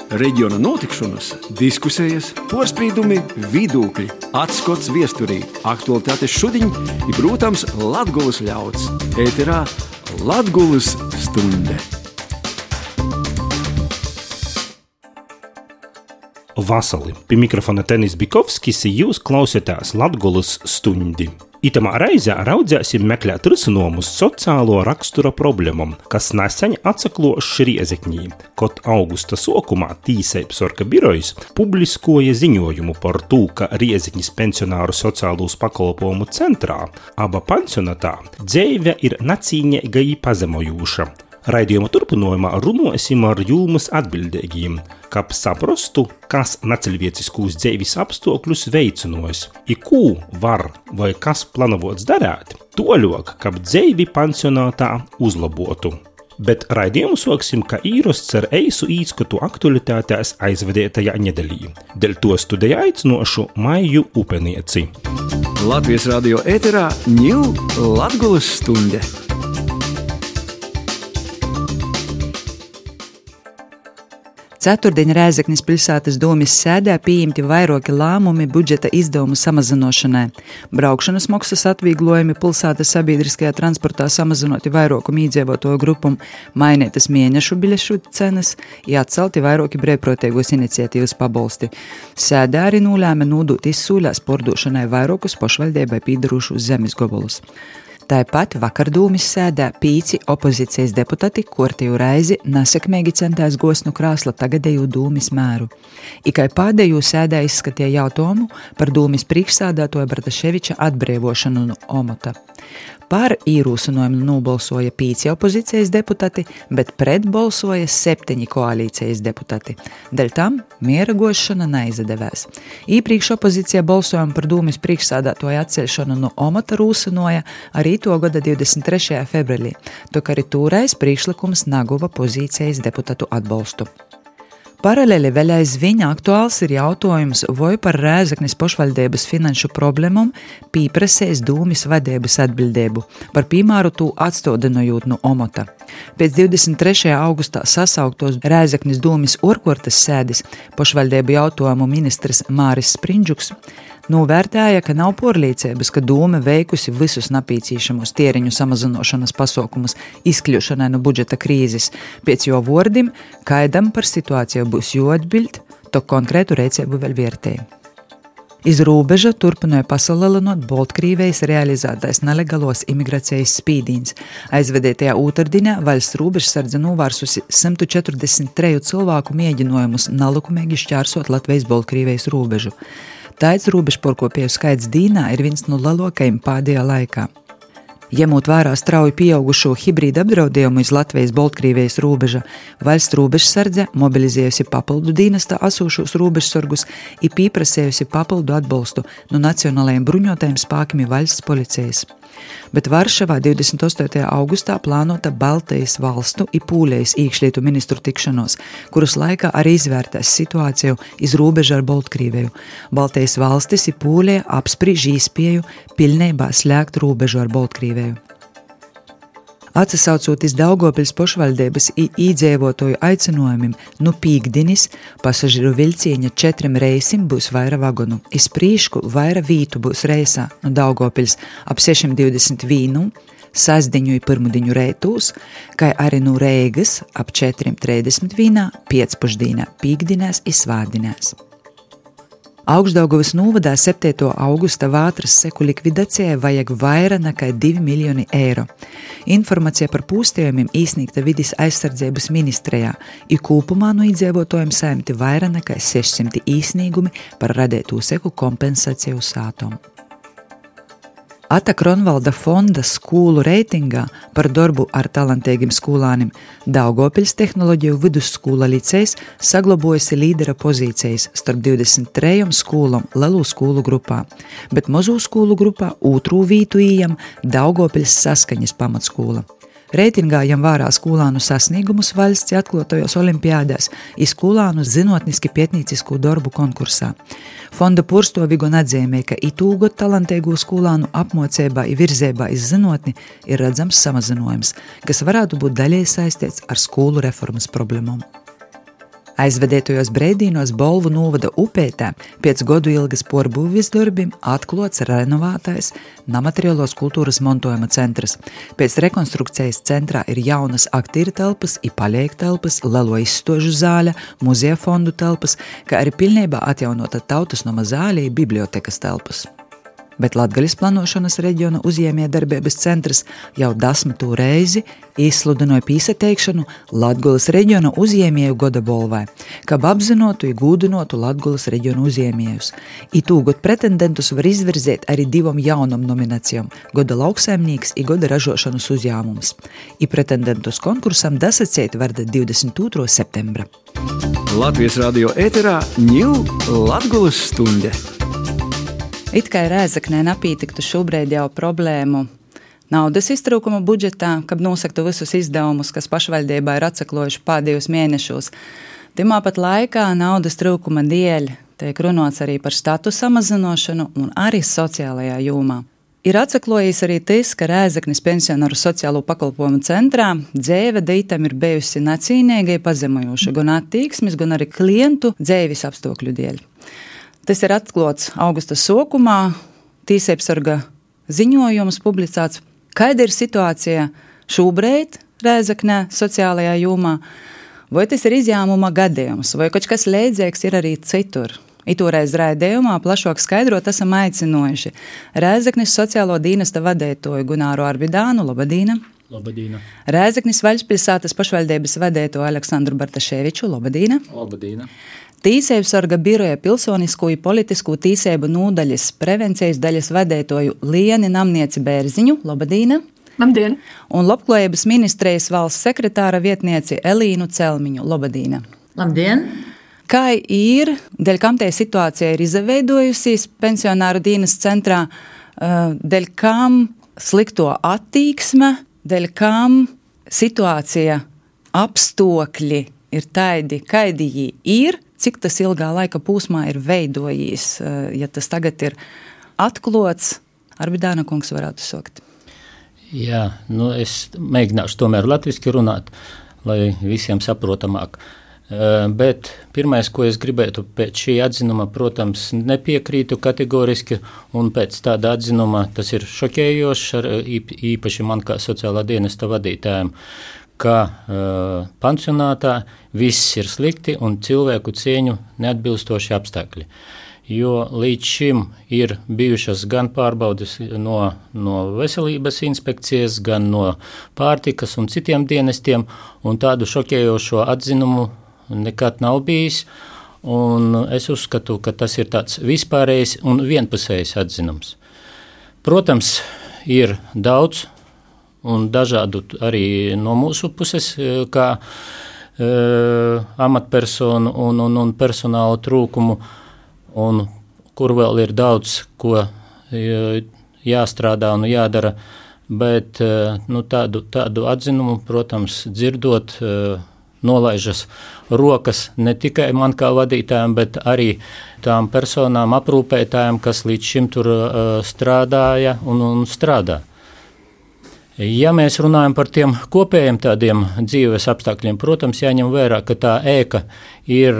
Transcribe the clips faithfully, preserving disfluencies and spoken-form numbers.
Reģiona notikšanas, diskusijas, porspīdumi, vidūkļi, atskots viesturī, aktualitātes šudiņ i, protams, Latgulas ļauds. Ēterā Latgulas stunde. Vasali, pie mikrofona Tenis Bikovskis, jūs klausieties Latgulas stundi. Itamā reizē raudzēsim meklēt risinojumus sociālo rakstura problemam, kas nesen atsaklošs Riezekņī, kad augusta sokumā Tīseibs Sorka birojs publiskoja ziņojumu par to, ka Riezekņas pensionāru sociālūs pakalpojumu centrā aba pensionatā dzeive ir nacīņeiga i pazemojūša. Raidījuma turpinājumā runāsim ar jūmas atbildīgiem, kap saprastu, kas naceļvieciskūs dzeivis apstākļus veicinojas, i kū var vai kas planovots darēt, toļok, kap dzeivi pensionātā uzlabotu. Bet raidījumu soksim, ka īrosts ar eisu īskatu aktualitātēs aizvadētajā nedēļī. Dēļ to studijā aicinošu Maiju Upenieci. Latvijas radio ēterā ņil Latgulas stunde. Ceturtdien Rēzeknis pilsētas domes sēdē pieņemti vairāki lēmumi budžeta izdevumu samazināšanai. Braukšanas maksas atvieglojumi pilsētas sabiedriskajā transportā samazinoti vairākumu iedzīvotāju grupam, mainītas mēnešu biļešu cenas, i atcelti vairāki brīvprātīgos iniciatīvas pabalsti. Sēdē arī nolēma nodot izsūļās pārdošanai vairākus pašvaldībai pīdarošus zemes gabalus. Tāpat vakar dūmis sēdā pīci opozīcijas deputati kortēju reizi nesekmīgi centās gost no krāsla tagadēju dūmis mēru. Ikai pēdējo sēdā izskatīja jautājumu par dūmis priekšsēdētāja Bartaševiča atbrīvošanu no omata. Par īrūsinojumu nobalsoja pīci opozīcijas deputati, bet pret balsoja septiņi koalīcijas deputati. Dēļ tam miera gošana neizdevēs. Īpriekš opozīcija balsojumu par dūmis priekšsēdētāja atceļšanu no omata rūsinoja arī to gada divdesmit trešajā februārī, tok arī tūreiz priekšlikums naguva pozīcijas deputatu atbalstu. Paralēli vēl aizvien aktuāls ir jautājums, vai par Rēzeknes pašvaldības finanšu problēmām pīprasēs dūmis vadības atbildību, par piemēru tū atstādinojot no omata. Pēc divdesmit trešajā augustā sasauktos Rēzeknes dūmis orkortas sēdes pašvaldību jautājumu ministrs Māris Sprindžuks novērtēja, ka nav porliecības, ka dūme veikusi visus napīcīšamos tieriņu samazinošanas pasaukumus izkļūšanai no budžeta krīzes. Pēc jo vordim, kaidam par situāciju būs jāatbild, to konkrētu rēcību vēl vērtēja. Iz rūbeža turpināja pasalielinot Baltkrīvijas realizētais nelegālos imigrācijas spīdīns. Aizvedētajā ūtardinā valsts rūbežsardze novērsusi simt četrdesmit trīs cilvēku mēģinājumus nelikumīgi šķērsot Latvijas Baltkrīvijas rūbežu. Tāds robežporkopēju skaits dīnā ir viens no lielākajiem pēdējā laikā. Ņemot vērā strauji pieaugušo hibrīdu apdraudējumu iz Latvijas Baltkrievijas robeža, valsts robežsardze mobilizējusi papildu dienestā asūšos robežsargus i pieprasējusi papildu atbalstu no nacionālajiem bruņotajiem spēkiem valsts policijas. Bet Varšavā divdesmit astotajā augustā plānota Baltijas valstu i Pūlijas iekšlietu ministru tikšanos, kuras laikā arī izvērtēs situāciju iz robeža ar Baltkrieviju. Baltijas valstis i Pūlija apspriež iespēju pilnībā slēgt robežu ar Baltkrieviju. Atsasaucot iz Daugavpils pašvaldības i iedzīvotāju aicinājumiem, nu pīkdinis pasažieru vilcieņa četrim reisim būs vaira vagonu. Iz prīšku vaira vītu būs reisā no Daugavpils ap sešim divdesmit vienu, sasdiņu i pirmdiņu reitūs, kai arī no Reigas ap četrim trīsdesmit vienā, piecpušdīnā, pīkdinās i svārdinās. Augšdaugavas novadā septītā augusta vātras seku likvidācijai vajag vaira nekā divi miljoni eiro. Informācija par pūstījumiem īsniegta vides aizsardzības ministrijā, i kopumā no iedzīvotājiem saimti vaira nekā sešsimt īsniegumi par radētū seku kompensāciju sātom. Ata Kronvalda fonda skūlu reitingā par darbu ar talantīgiem skolānim Daugavpils tehnoloģiju vidusskola licejs saglabojusi līdera pozīcijas starp divdesmit trim skolām lielu skolu grupā, bet mazu skolu grupā otru vītu ījam Daugavpils Saskaņas pamatskola. Reitingā jam vērā skolānu sasniegumus valsts atklātajos olimpiādās i skolānu zinotniski pietnīcisku darbu konkursā. Fonda porstovi gan atzīmē, ka itūgot talantīgu skolānu apmocībā i virzībā iz zinotni ir redzams samazinojums, kas varētu būt daļēji saistīts ar skolu reformas problēmām. Aizvedētojos breidīnos Bolvu novada upētā pēc godu ilgas porbūvis darbim atklots renovātais namateriālos kultūras montojuma centrs. Pēc rekonstrukcijas centrā ir jaunas aktīra telpas, i paļēk telpas, lelo izstožu zāļa, muzeja fondu telpas, kā arī pilnībā atjaunota Tautas noma zāļa i bibliotekas telpas. Bet Latgalis planošanas reģiona uzņēmējdarbības centrs jau desmitū reizi izsludināja pīsateikšanu Latgolas reģiona uzņēmēju goda bolvai, kab apzinotu i gūdinotu Latgolas reģiona uzņēmējus. I tūgot pretendentus var izvirzēt arī divam jaunam nominācijam – goda lauksaimnieks i goda ražošanas uzņēmums. I pretendentus konkursam dasacēt varda divdesmit otrā septembra. Latvijas radio ēterā ņiu Latgolas stunde. It kā Rēzeknē napītiktu šobrīd jau problēmu naudas iztrūkuma budžetā, kad nosaktu visus izdevumus, kas pašvaldībā ir atsaklojuši pēdējos mēnešos. Timā pat laikā naudas trūkuma dēļ tiek runāts arī par statu samazinošanu un arī sociālajā jomā. Ir atsaklojis arī tas, ka Rēzeknes pensionāru sociālo pakalpojumu centrā dzēve dītam ir bijusi nacīnīgai pazemojoša gan attīksmes, gan arī klientu dzēvis apstākļu dēļ. Tas ir atklāts augusta sākumā, Tīsēpsarga ziņojums publicēts. Kāda ir situācija šobrīd Rēzeknē sociālajā jomā? Vai tas ir izņēmuma gadījums, vai kaut kas līdzīgs ir arī citur? Itūreiz raidījumā plašāk skaidrot esam aicinojuši Rēzeknes sociālo dienesta vadētoju Gunāru Arbidānu. Labadīna! Labadīna! Rēzeknes Vaļspilsētas pašvaldības vadētoju Aleksandru Bartaševiču. Labadīna! Labadīna! Tīsēpsarga biroja pilsonisko i politisko tīsēbu nūdaļas prevencijas daļas vadētoju Lieni Namnieci Bērziņu. Labadīna! Labdien! Un Labklājības ministrijas valsts sekretāra vietnieci Elīnu Celmiņu. Labadīna! Labdien! Kā ir, dēļ kam tie situācija ir izveidojusies pensionāru dienas centrā, dēļ kam slikto attīksme, dēļ kam situācija apstākļi ir tādi, kādi jī ir, cik tas ilgā laika pūsmā ir veidojis, ja tas tagad ir atklāts? Arbidāna kungs varētu sākt. Jā, nu es mēģināšu tomēr latviski runāt, lai visiem saprotamāk. Bet pirmais, ko es gribētu pēc šī atzinuma, protams, nepiekrītu kategoriski, un pēc tāda atzinuma tas ir šokējošs, īpaši man kā sociālā dienesta vadītājiem, ka uh, pansionātā viss ir slikti un cilvēku cieņu neatbilstoši apstākļi. Jo līdz šim ir bijušas gan pārbaudes no, no veselības inspekcijas, gan no pārtikas un citiem dienestiem, un tādu šokējošo atzinumu nekad nav bijis, un es uzskatu, ka tas ir tāds vispārējs un vienpusējs atzinums. Protams, ir daudz un dažādu arī no mūsu puses, kā e, amatpersonu un, un, un personāla trūkumu, un kur vēl ir daudz, ko e, jāstrādā un jādara, bet e, nu, tādu, tādu atzinumu, protams, dzirdot, e, nolaižas rokas ne tikai man kā vadītājiem, bet arī tām personām, aprūpētājiem, kas līdz šim tur e, strādāja un, un strādā. Ja mēs runājam par tiem kopējiem tādiem dzīves apstākļiem, protams, jāņem vērā, ka tā ēka ir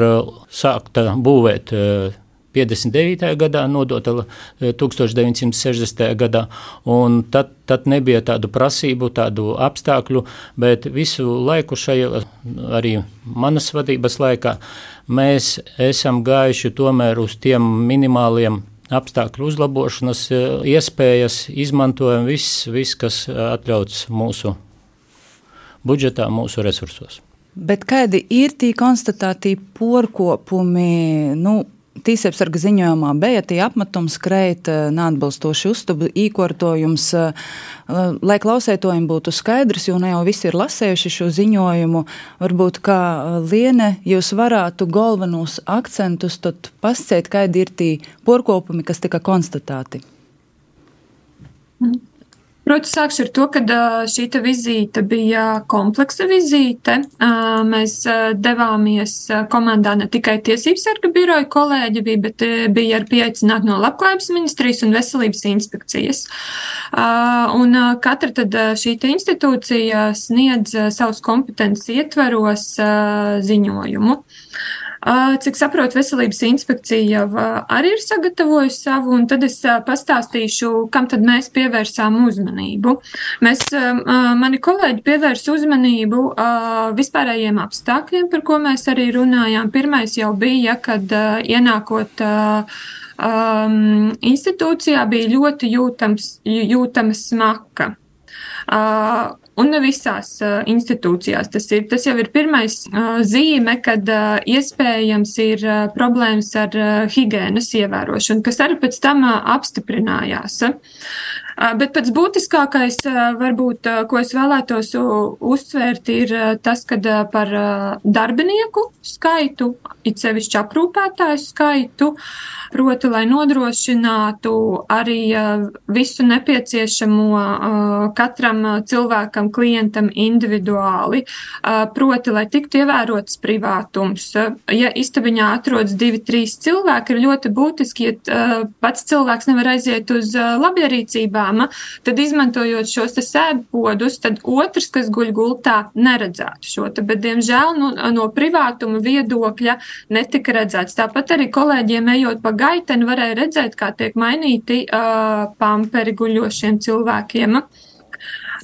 sākta būvēt piecdesmit devītajā gadā, nodota tūkstoš deviņsimt sešdesmitajā gadā, un tad, tad nebija tādu prasību, tādu apstākļu, bet visu laiku šajā, arī manas vadības laikā, mēs esam gājuši tomēr uz tiem minimāliem apstākļu uzlabošanas iespējas, izmantojam viss, vis, kas atļauts mūsu budžetā, mūsu resursos. Bet kādi ir tī konstatētī porkopumi, nu, Tīsēpsarga ziņojumā bija tie apmetums kreit, neatbilstoši uztubu īkortojums, lai klausētojiem būtu skaidrs, jo ne jau visi ir lasējuši šo ziņojumu, varbūt kā Liene, jūs varētu galvenos akcentus tad pascēt, kādi ir tī porkopumi, kas tika konstatēti. Proti, sākšu ar to, ka šī vizīte bija kompleksa vizīte. Mēs devāmies komandā ne tikai Tiesības sarga biroja kolēģi, bija, bet bija arī pieaicināti no Labklājības ministrijas un Veselības inspekcijas. Un katra tad šī institūcija sniedz savus kompetences ietveros ziņojumu. Cik saprotu, Veselības inspekcija jau arī ir sagatavojusi savu, un tad es pastāstīšu, kam tad mēs pievērsām uzmanību. Mēs, mani kolēģi pievērs uzmanību vispārējiem apstākļiem, par ko mēs arī runājām. Pirmais jau bija, kad ienākot um, institūcijā bija ļoti jūtams, jūtama smaka. Uh, Un ne visās uh, institūcijās tas ir. Tas jau ir pirmais uh, zīme, kad uh, iespējams ir uh, problēmas ar uh, higienas ievērošanu, kas arī pēc tam uh, apstiprinājās. Uh, bet pats būtiskākais, uh, varbūt, uh, ko es vēlētos uh, uzsvērt, ir uh, tas, ka uh, par uh, darbinieku skaitu, it sevišķi aprūpētāju skaitu, proti, lai nodrošinātu arī uh, visu nepieciešamo uh, katram uh, cilvēkam, klientam individuāli, proti, lai tiktu ievērots privātums. Ja istabiņā atrodas divi, trīs cilvēki, ir ļoti būtiski, ja pats cilvēks nevar aiziet uz labierīcībām, tad izmantojot šos te sēdpodus, tad otrs, kas guļ gultā, neredzētu šo te, bet, diemžēl, nu, no privātuma viedokļa netika redzēts. Tāpat arī kolēģiem ejot pa gaiteni varēja redzēt, kā tiek mainīti uh, pamperi guļošiem cilvēkiem.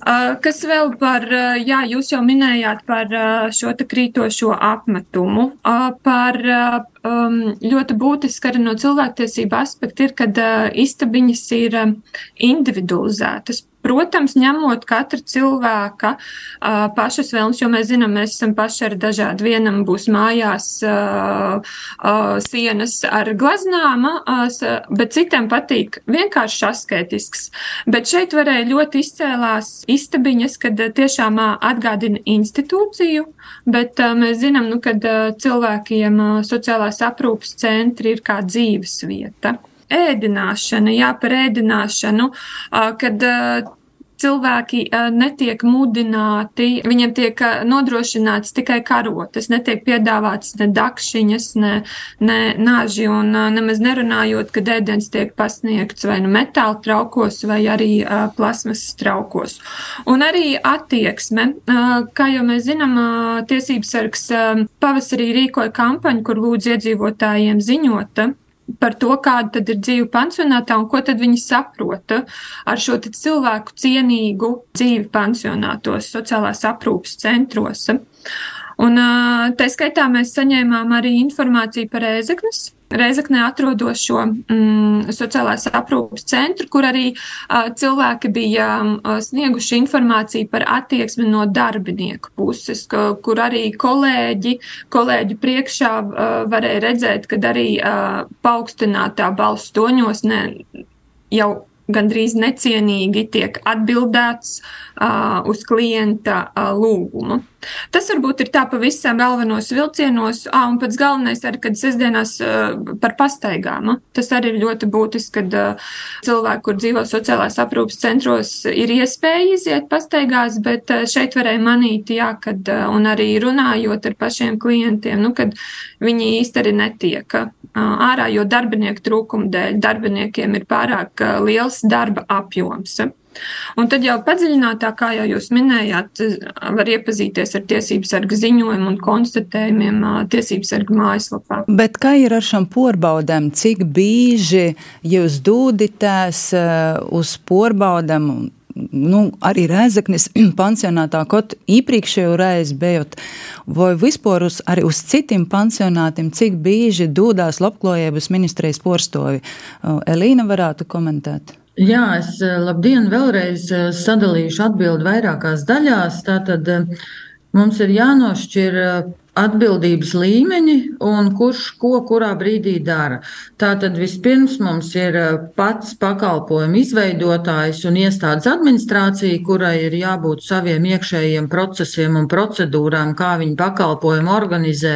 Uh, kas vēl par, uh, jā, jūs jau minējāt par uh, šo te krītošo apmetumu, uh, par uh, um, ļoti būtiski arī no cilvēktiesība aspekta ir, kad uh, istabiņas ir um, individualizētas. Protams, ņemot katra cilvēka uh, pašas vēlmes, jo mēs zinām, mēs esam paši ar dažādi. Vienam būs mājās uh, uh, sienas ar glaznām, uh, bet citiem patīk vienkārši asketisks. Bet šeit varēja ļoti izcēlās istabiņas, kad uh, tiešām uh, atgādina institūciju, bet uh, mēs zinām, nu, kad uh, cilvēkiem uh, sociālās aprūpes centri ir kā dzīves vieta. Ēdināšana, jā, par ēdināšanu, kad cilvēki netiek mudināti, viņiem tiek nodrošināts tikai karotes, netiek piedāvāts ne dakšiņas, ne, ne naži, un nemaz nerunājot, kad ēdienas tiek pasniegts vai nu metāla traukos, vai arī plasmasas traukos. Un arī attieksme, kā jau mēs zinām, Tiesības sargs pavasarī rīkoja kampaņu, kur lūdz iedzīvotājiem ziņot par to, kāda tad ir dzīve pansionātā un ko tad viņi saprota ar šo tad cilvēku cienīgu dzīvi pansionātos, sociālās aprūpes centros. Un tā skaitā mēs saņēmām arī informāciju par Rēzeknes, Rēzeknē atrodošo mm, sociālās aprūpes centru, kur arī uh, cilvēki bija uh, snieguši informāciju par attieksmi no darbinieku puses, ka, kur arī kolēģi, kolēģi priekšā uh, varēja redzēt, kad arī uh, paaugstinātā balss toņos ne, jau gandrīz necienīgi tiek atbildēts uh, uz klienta uh, lūgumu. Tas varbūt ir tā pavisam galvenos vilcienos, ā, un pats galvenais arī, kad sestdienās uh, par pastaigām. Tas arī ir ļoti būtiski, kad uh, cilvēki, kur dzīvo sociālās aprūpes centros, ir iespēja iziet pastaigās, bet uh, šeit varēja manīt, jā, kad, uh, un arī runājot ar pašiem klientiem, nu, kad viņi īsti arī netiek uh, ārā, jo darbinieku trūkuma dēļ darbiniekiem ir pārāk uh, liels darba apjoms. Un tad jau padziļinātāk, kā jau jūs minējāt, var iepazīties ar Tiesības sarga ziņojumu un konstatējumiem Tiesības sarga mājaslapā. Bet kā ir ar šām porbaudēm? Cik bīži jūs dūditēs uz porbaudēm? Nu, arī Rēzeknes pansionātā, kaut īpriekšējo reizi bijot, vai vispār uz, arī uz citiem pansionātiem, cik bīži dūdās Labklājības ministrijas porstovi? Elīna varētu komentēt. Jā, es labdien vēlreiz sadalīšu atbildi vairākās daļās. Tātad mums ir jānošķir atbildības līmeņi un kurš ko kurā brīdī dara. Tātad vispirms mums ir pats pakalpojumu izveidotājs un iestādes administrācija, kurai ir jābūt saviem iekšējiem procesiem un procedūrām, kā viņi pakalpojumu organizē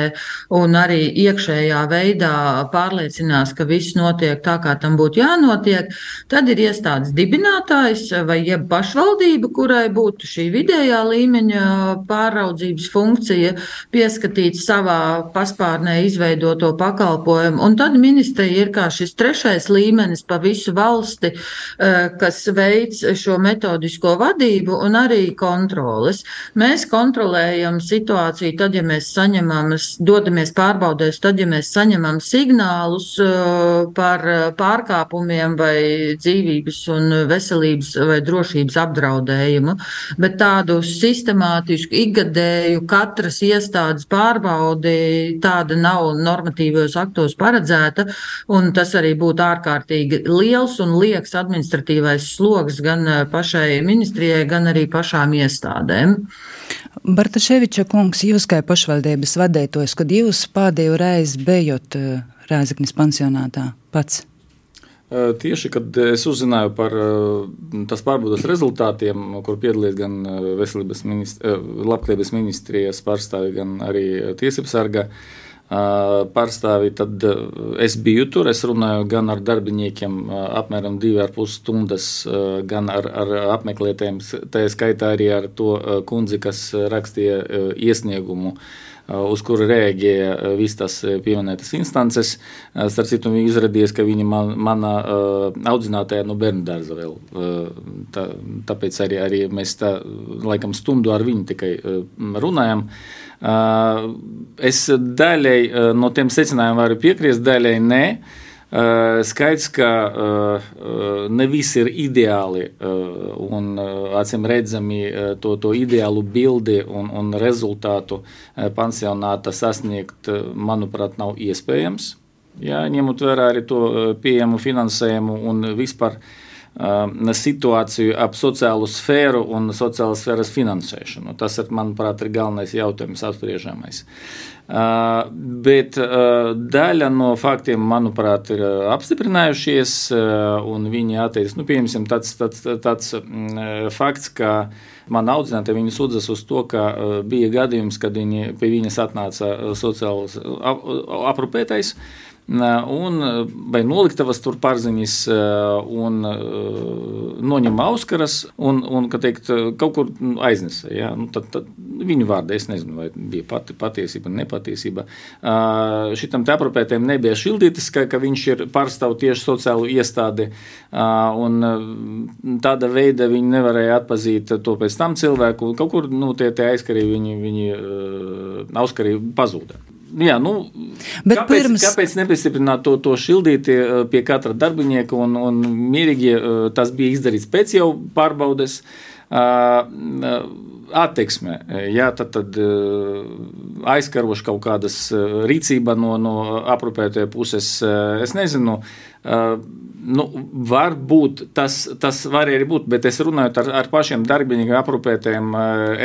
un arī iekšējā veidā pārliecinās, ka viss notiek tā, kā tam būtu jānotiek. Tad ir iestādes dibinātājs vai jeb pašvaldība, kurai būtu šī vidējā līmeņa pāraudzības funkcija, pieskatīt savā paspārnē izveidoto pakalpojumu. Un tad ministrija ir kā šis trešais līmenis pa visu valsti, kas veic šo metodisko vadību un arī kontroles. Mēs kontrolējam situāciju tad, ja mēs saņemam, dodamies pārbaudēs, tad, ja mēs saņemam signālus par pārkāpumiem vai dzīvības un veselības vai drošības apdraudējumu, bet tādu sistemātisku, ikgadēju katras iestādes pārbaudi tāda nav normatīvos aktos paredzēta, un tas arī būtu ārkārtīgi liels un lieks administratīvais sloks gan pašai ministrijai, gan arī pašām iestādēm. Bartaševiča kungs, jūs kā pašvaldības vadētojs, kad jūs pēdējo reizi bijat Rēzeknes pansionātā pats? Tieši, kad es uzzināju par tas pārbaudas rezultātiem, kur piedalījās gan veselības ministri, labklājības ministrijas pārstāvi, gan arī tiesības sarga pārstāvi, tad es biju tur, es runāju gan ar darbiniekiem apmēram divi ar pus stundas, gan ar, ar apmeklētājiem, tā skaitā arī ar to kundzi, kas rakstīja iesniegumu, uz kuru reaģēja visas tās pieminētas instances. Starp citu, izrādījās, ka viņa man, mana audzinātāja no bērnu dārza vēl. Tā, tāpēc arī, arī mēs tā, laikam stundu ar viņu tikai runājam. Es daļai no tiem secinājumiem varu piekrist, daļai nē. Skaidrs, ka ne visi ir ideāli un acīm redzami to, to ideālu bildi un, un rezultātu pansionāta sasniegt, manuprāt, nav iespējams. Jā, ņemot vērā arī to pieejamu finansējumu un vispār situāciju ap sociālo sfēru un sociālas sfēras finansēšanu. Tas, ir, manuprāt, ir galvenais jautājums apspriežamais. Uh, bet uh, daļa no faktiem, manuprāt, ir uh, apstiprinājušies, uh, un viņi atteicis, nu, piemēram, tāds, tāds, tāds uh, fakts, ka man audzinātāji viņi sūdzas uz to, ka uh, bija gadījums, kad viņi, pie viņas atnāca uh, sociāls ap, aprūpētais, un vai noliktavas tur pārziņas un noņem auskaras un, un ka teikt, kaut kur aiznesa. Ja? Nu, tad, tad viņu vārdā es nezinu, vai bija pati, patiesība, nepatiesība. Uh, šitam te aprūpētēm nebija šildītis, ka, ka viņš ir pārstāv tieši sociālu iestādi, uh, un tāda veida viņi nevarēja atpazīt to pēc tam cilvēku. Kaut kur nu, tie, tie aizkarī viņi, viņi uh, auskarī pazūda. Jā, nu, kāpēc, pirms... kāpēc nepiestiprināt to, to šildīti pie katra darbinieka un, un mierīgi tas bija izdarīts pēc jau pārbaudes attieksme, jā, tad, tad aizkaroši kaut kādas rīcība no, no aprūpētāja puses, es nezinu, nu, var būt, tas, tas var arī būt, bet es runāju ar, ar pašiem darbiniekiem, aprūpētājiem,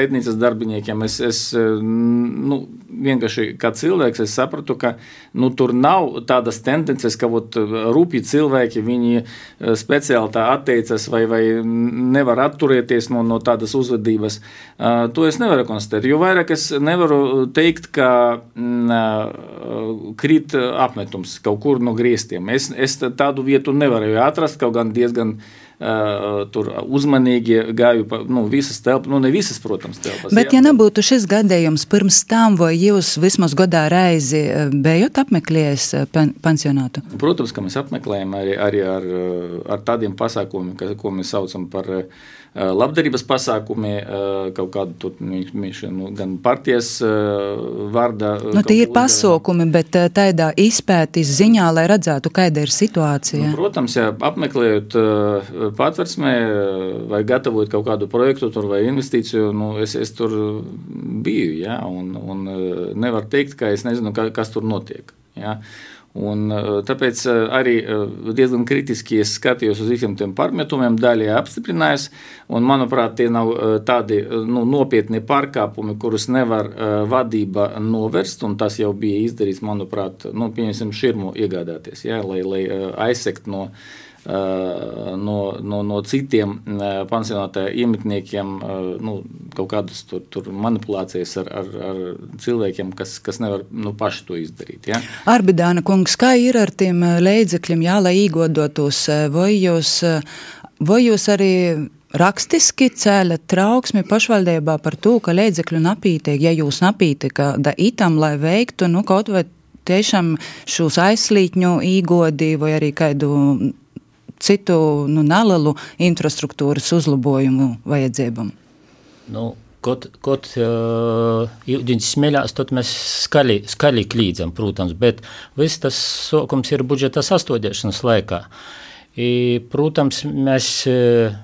ēdnīcas darbiniekiem, es, es nu, vienkārši kā cilvēks, es sapratu, ka nu, tur nav tādas tendences, ka ot, rūpji cilvēki, viņi speciāli tā atteicas vai, vai nevar atturēties no, no tādas uzvedības. Uh, to es nevaru konstatēt, jo vairāk es nevaru teikt, ka uh, krīt apmetums kaut kur no griestiem. Es, es tādu vietu nevarēju atrast, kaut gan diezgan Uh, tur uzmanīgi gāju pa nu, visas telpas, nu ne visas, protams, telpas. Bet, jā, ja nebūtu šis gadījums pirms tam, vai jūs vismaz gadā reizi bijat apmeklējis pansionātu? Protams, ka mēs apmeklējam arī, arī ar, ar tādiem pasākumiem, ko mēs saucam par labdarības pasākumi, kaut kādu tur, nu, gan partijas vārdā. Nu, tie ir pasākumi, bet tādā izpētis ziņā, lai redzētu, kāda ir situācija. Nu, protams, ja apmeklējot patversmē vai gatavojot kaut kādu projektu tur vai investīciju, nu, es, es tur biju, jā, un, un nevar teikt, ka es nezinu, kas tur notiek, jā. Un tāpēc arī diezgan kritiski es skatījos uz visiem tiem pārmetumiem, daļai apstiprinājos, un manuprāt, tie nav tādi nu, nopietni pārkāpumi, kurus nevar vadība novērst, un tas jau bija izdarīts, manuprāt, nu, pieņemsim širmu iegādāties, ja, lai, lai aizsekt no No, no, no citiem pansionātā iemetniekiem nu, kaut kādas tur, tur manipulācijas ar, ar, ar cilvēkiem, kas, kas nevar nu, paši to izdarīt. Ja? Arbidāna kungs, kā ir ar tiem līdzekļiem, jā, lai īgodotos, vai jūs, vai jūs arī rakstiski cēļat trauksmi pašvaldībā par to, ka līdzekļu napītiek, ja jūs napītika da itam, lai veiktu, nu, kaut vai tiešām šos aizslītņu īgodi vai arī kādu citu nu, nelielu infrastruktūras uzlabojumu vajadzībām? Nu, Kad, kad uh, ūdens smeļās, tad mēs skaļi, skaļi klīdzam, protams, bet viss tas sākums ir budžeta sastādīšanas laikā. I, protams, mēs uh,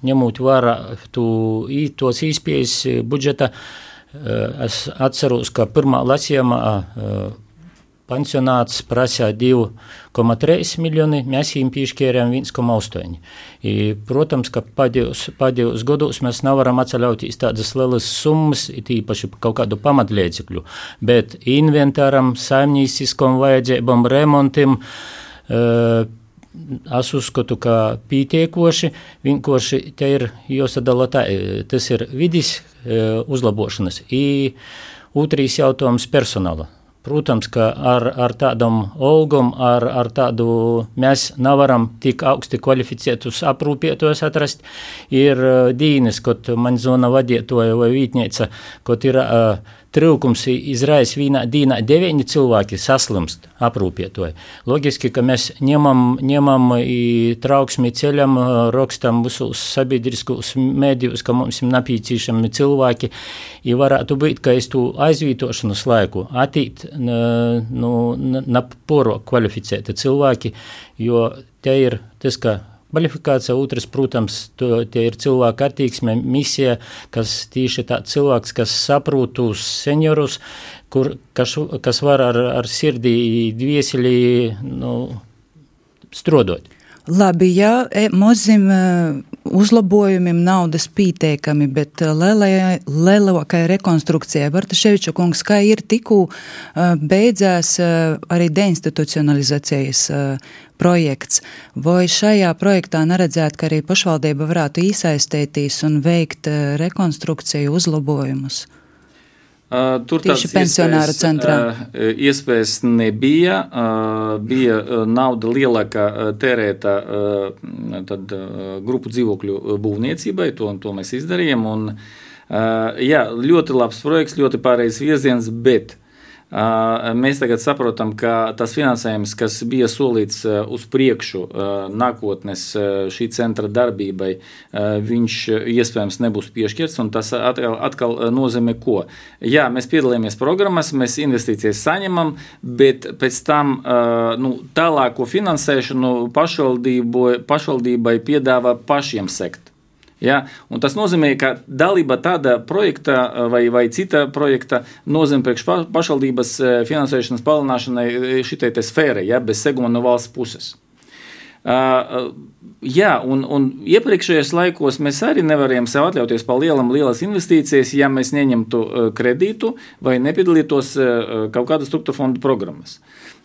ņemot vērā tu, i, tos īspējas budžeta, uh, es atceros, ka pirmā lasījumā uh, pensionāts prasīja divi koma trīs miljoni, mēs viņiem piešķērām viens koma astoņi. I, protams, ka pēdējos, pēdējos gados mēs nevaram atceļauties tādas lielas summas, tīpaši kaut kādu pamatliedzekļu, bet inventāram, saimnieciskam vajadzībam, remontim, uh, es uzskatu, ka pietiekoši, vienkārši te ir jāsadala tā, tas ir vidis uh, uzlabošanas. I otrais jautājums personāla. Protams, ka ar, ar tādam olgam, ar, ar tādu mēs nevaram tik augsti kvalificētus aprūpētos atrast. Ir uh, dīnes, kad man zona vadītoja vai vītnieca, kad ir uh, trūkums izraisa vienā dīnā deviņi cilvēki saslimst aprūpētoji. Logiski, ka mēs ņemam, ņemam trauksmi ceļam, rakstam visus sabiedriskos mēdījus, ka mums ir nepieciešami cilvēki, i varētu būt, ka es tu aizvītošanas laiku attīt nu, na porok kvalificēti cilvēki, jo te ir tas, ka kvalifikācija, otrs, protams, to, tie ir cilvēka attieksme, misija, kas tieši tā cilvēks, kas saprot uz seniorus, kur, kas, kas var ar, ar sirdī dvieseli nu, strodot. Labi, jā, mazim uzlabojumiem naudas pīteikami, bet lielākai rekonstrukcijai. Bartaševiča kungs, kā ir tikū beidzās arī deinstitucionalizācijas projekts, vai šajā projektā neredzēt, ka arī pašvaldība varētu iesaistēties un veikt rekonstrukciju uzlabojumus? Uh, tur tieši pensionāru centrā. Uh, iespējas nebija, uh, bija nauda lielākā tērēta uh, tad, uh, grupu dzīvokļu būvniecībai, to, to mēs izdarījām. Un, uh, jā, ļoti labs projekts, ļoti pareizs virziens, bet uh, mēs tagad saprotam, ka tas finansējums, kas bija solīts uh, uz priekšu uh, nākotnes uh, šī centra darbībai, uh, viņš iespējams nebūs piešķirts, un tas atkal, atkal nozīmē ko? Jā, mēs piedalījāmies programmas, mēs investīcijas saņemam, bet pēc tam uh, nu, tālāko finansēšanu pašvaldībai piedāvā pašiem sekt. Ja? Un tas nozīmē, ka dalība tāda projekta vai, vai cita projekta nozīmē priekš pašvaldības finansēšanas palielināšanai šitai te sfērai, ja? Bez seguma no valsts puses. Uh, jā, un, un iepriekšējos laikos mēs arī nevarējām sev atļauties pa lielam lielas investīcijas, ja mēs neņemtu uh, kredītu vai nepiedalītos uh, kaut kādas struktūra fondu programmas.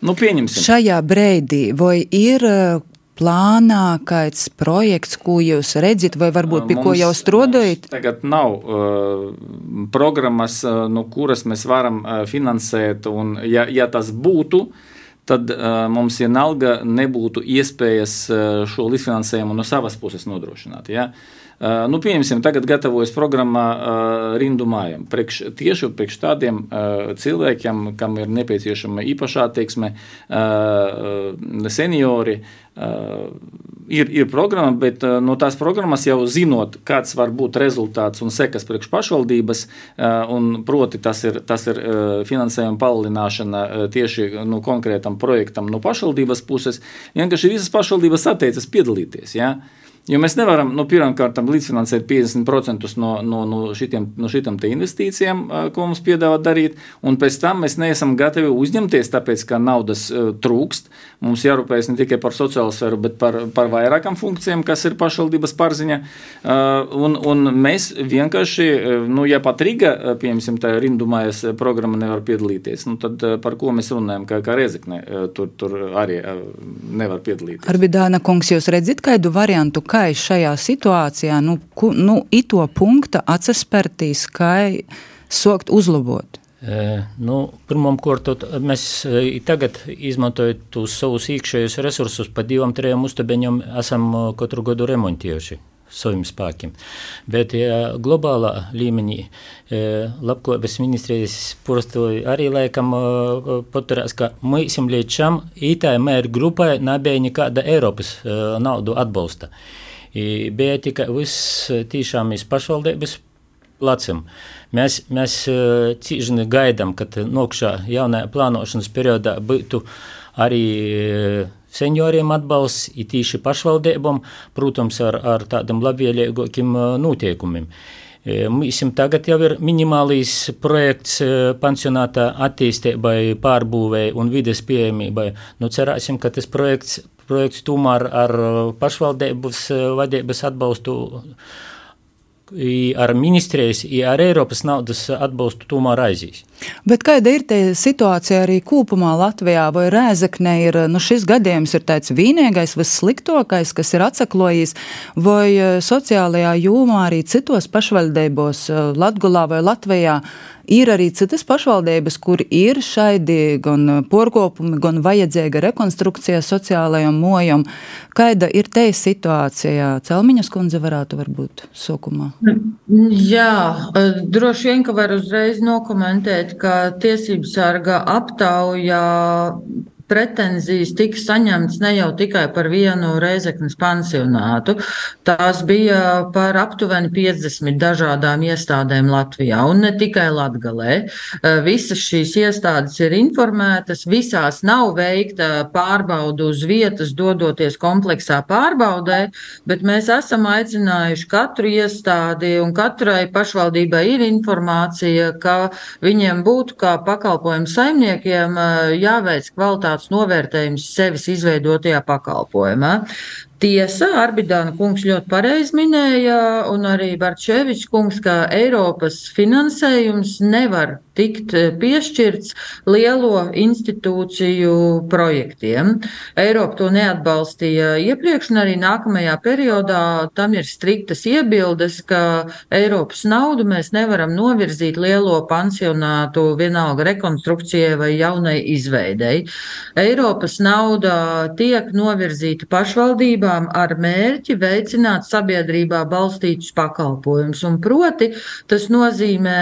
Nu, pieņemsim. Šajā brīdī vai ir uh, plānā kāds projekts, ko jūs redzat, vai varbūt pie ko jau strādājat? Tagad nav uh, programmas, uh, no kuras mēs varam uh, finansēt, un ja, ja tas būtu, tad uh, mums vienalga nebūtu iespējas uh, šo līdzfinansējumu no savas puses nodrošināt. Ja? Uh, nu, pieņemsim, tagad gatavojas programma uh, Rindu mājām. Priekš, tieši priekš tādiem uh, cilvēkiem, kam ir nepieciešama īpašā attieksme, uh, seniori, uh, ir, ir programma, bet uh, no tās programmas jau zinot, kāds var būt rezultāts un sekas priekš pašvaldības, uh, un proti tas ir, tas ir uh, finansējuma palielināšana uh, tieši no konkrētam projektam no pašvaldības puses, vienkārši visas pašvaldības atteicas piedalīties, ja? Jo mēs nevaram, nu, pirmkārtam līdzfinansēt piecdesmit procenti no, no, no, šitiem, no šitām te investīcijām, ko mums piedāvā darīt, un pēc tam mēs neesam gatavi uzņemties, tāpēc, ka naudas uh, trūkst. Mums jārūpējas ne tikai par sociālo sfēru, bet par, par vairākām funkcijām, kas ir pašvaldības pārziņa. Uh, un, un mēs vienkārši, uh, nu, ja pat Riga, uh, piemēram, tā rindumājas programma nevar piedalīties, nu, tad uh, par ko mēs runājam, kā, kā Rezekne uh, tur, tur arī uh, nevar piedalīties. Arbidāna kungs, jūs redzat kādu variantu, kā šajā situācijā, nu, ku, nu ito punkta atsaspertīs, kā sokt uzlabot? E, nu, pirmam kortot, mēs e, tagad izmantojot tos savus iekšējos resursus pa divam, trejam uztabeņam esam katru gadu remontējuši saviem spēkiem. Bet ja, globālā līmenī e, labklājības ministrijas prostoja arī laikam e, paturēs, ka mēs līdz šam itai mēru grupai nebija nekāda Eiropas e, naudu atbalsta. I bija tikai viss tīšām iz pašvaldības placim. Mēs, mēs cīžini gaidām, kad nokšā jaunajā plānošanas periodā būtu arī senioriem atbalsts, i tīši pašvaldībām, protams, ar, ar tādam labvēlīgākiem noteikumiem. Mums tagad jau ir minimālīs projekts pansionātā attīstībai, pārbūvei un vides pieejamībai. Nu, cerāsim, ka tas projekts projekts tomēr ar pašvaldības vadības atbalstu, ar ministrijas, ar Eiropas naudas atbalstu tomēr aizies. Bet kāda ir te situācija arī kopumā Latvijā, vai Rēzekne ir, nu šis gadījums ir tāds vienīgais, vissliktākais, kas ir atsaklojis, vai sociālajā jomā arī citos pašvaldībos Latgolā vai Latvijā ir arī citas pašvaldības, kur ir šaidi gan porkopumi, gan vajadzīga rekonstrukcija sociālajam mojam. Kāda ir te situācija? Celmiņas kundze varētu varbūt sokumā. Jā, droši vien, ka var uzreiz nokomentēt, ka tiesības sarga aptaujā pretenzijas tika saņemts ne jau tikai par vienu Rēzeknes pansionātu, tās bija par aptuveni piecdesmit dažādām iestādēm Latvijā un ne tikai Latgalē. Visas šīs iestādes ir informētas, visās nav veikta pārbaudu uz vietas, dodoties kompleksā pārbaudē, bet mēs esam aicinājuši katru iestādi un katrai pašvaldībai ir informācija, ka viņiem būtu kā pakalpojumu saimniekiem jāveic kvalitātes novērtējums sevis izveidotajā pakalpojumā. Tiesa, Arbidāna kungs ļoti pareizi minēja, un arī Bartševičs kungs, ka Eiropas finansējums nevar tikt piešķirts lielo institūciju projektiem. Eiropa to neatbalstīja iepriekš, un arī nākamajā periodā tam ir striktas iebildes, ka Eiropas naudu mēs nevaram novirzīt lielo pansionātu vienalga rekonstrukcijai vai jaunai izveidei. Eiropas nauda tiek novirzīta pašvaldībā ar mērķi veicināt sabiedrībā balstītus pakalpojumus. Un proti, tas nozīmē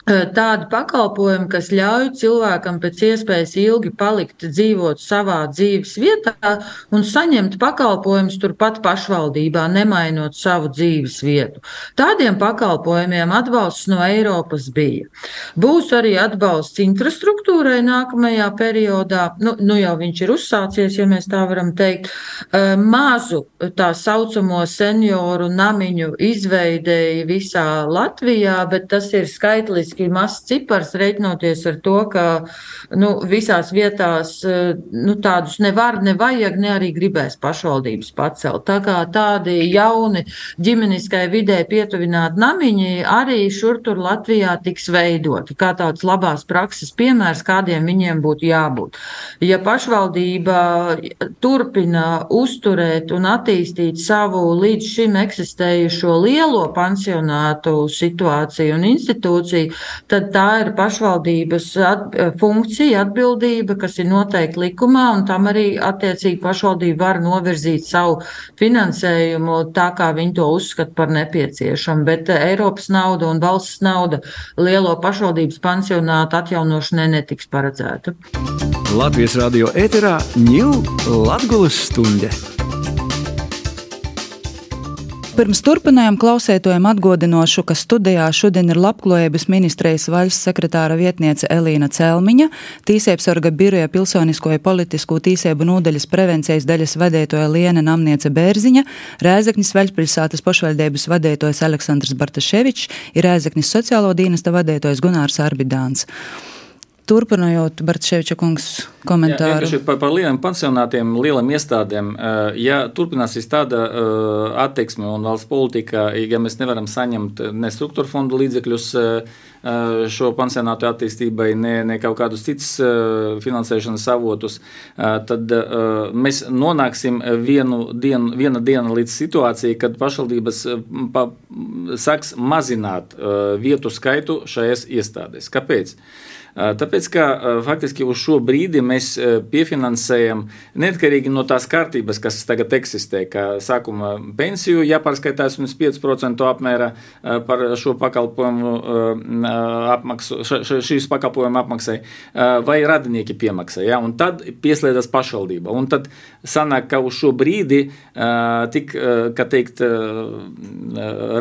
tādi pakalpojumi, kas ļauj cilvēkam pēc iespējas ilgi palikt dzīvot savā dzīves vietā un saņemt pakalpojumus turpat pašvaldībā, nemainot savu dzīves vietu. Tādiem pakalpojumiem atbalsts no Eiropas bija. Būs arī atbalsts infrastruktūrai nākamajā periodā, nu, nu jau viņš ir uzsācies, ja mēs tā varam teikt, mazu tā saucamo senioru namiņu izveidēja visā Latvijā, bet tas ir skaitliski mazs cipars, reiķinoties ar to, ka nu, visās vietās nu, tādus nevar, nevajag, ne arī gribēs pašvaldības pacelt. Tā kā tādi jauni ģimeniskai vidē pietuvināti namiņi arī šur tur Latvijā tiks veidoti, kā tāds labās prakses piemērs, kādiem viņiem būtu jābūt. Ja pašvaldība turpina uzturēt un attīstīt savu līdz šim eksistējušo lielo pansionātu situāciju un institūciju, tad tā ir pašvaldības at, funkcija, atbildība, kas ir noteikti likumā, un tam arī attiecīgi pašvaldība var novirzīt savu finansējumu tā, kā viņi to uzskata par nepieciešamu. Bet Eiropas nauda un valsts nauda lielo pašvaldības pansionātu atjaunošanai netiks paredzēta. Latvijas radio ēterā ņūl Latgulas stunde. Pirms turpinājām klausētojiem atgādinošu, ka studijā šodien ir Labklājības ministrijas valsts sekretāra vietniece Elīna Celmiņa, Tīsēbsarga biroja pilsonisko politisko tīsēbu nodaļas prevencijas daļas vadētoja Liene Namniece Bērziņa, Rēzeknis Vaļpilsātas pašvaldības vadētojs Aleksandrs Bartaševičs ir Rēzeknis sociālo dienesta vadētojs Gunārs Arbidāns. Turpinājot Bartaševiča kungs komentāru. Jā, par, par lieliem pansionātiem, lieliem iestādēm, ja turpināsies tāda attieksme un valsts politika, ja mēs nevaram saņemt ne struktūra fondu līdzekļus šo pansionātu attīstībai, ne, ne kaut kādus citus finansēšanas avotus, tad mēs nonāksim vienu dienu, viena diena līdz situācijai, kad pašvaldības pa, sāks mazināt vietu skaitu šajās iestādēs. Kāpēc? Tāpēc, ka faktiski uz šo brīdi mēs piefinansējam neatkarīgi no tās kārtības, kas tagad eksistē, ka sākuma pensiju jāpārskaitās un pieci procenti apmērā par šo pakalpojumu apmaksu, šīs pakalpojumu apmaksai, vai radinieki piemaksā, ja? Un tad pieslēdzas pašvaldība. Un tad sanāk, ka uz šo brīdi tik, kā teikt,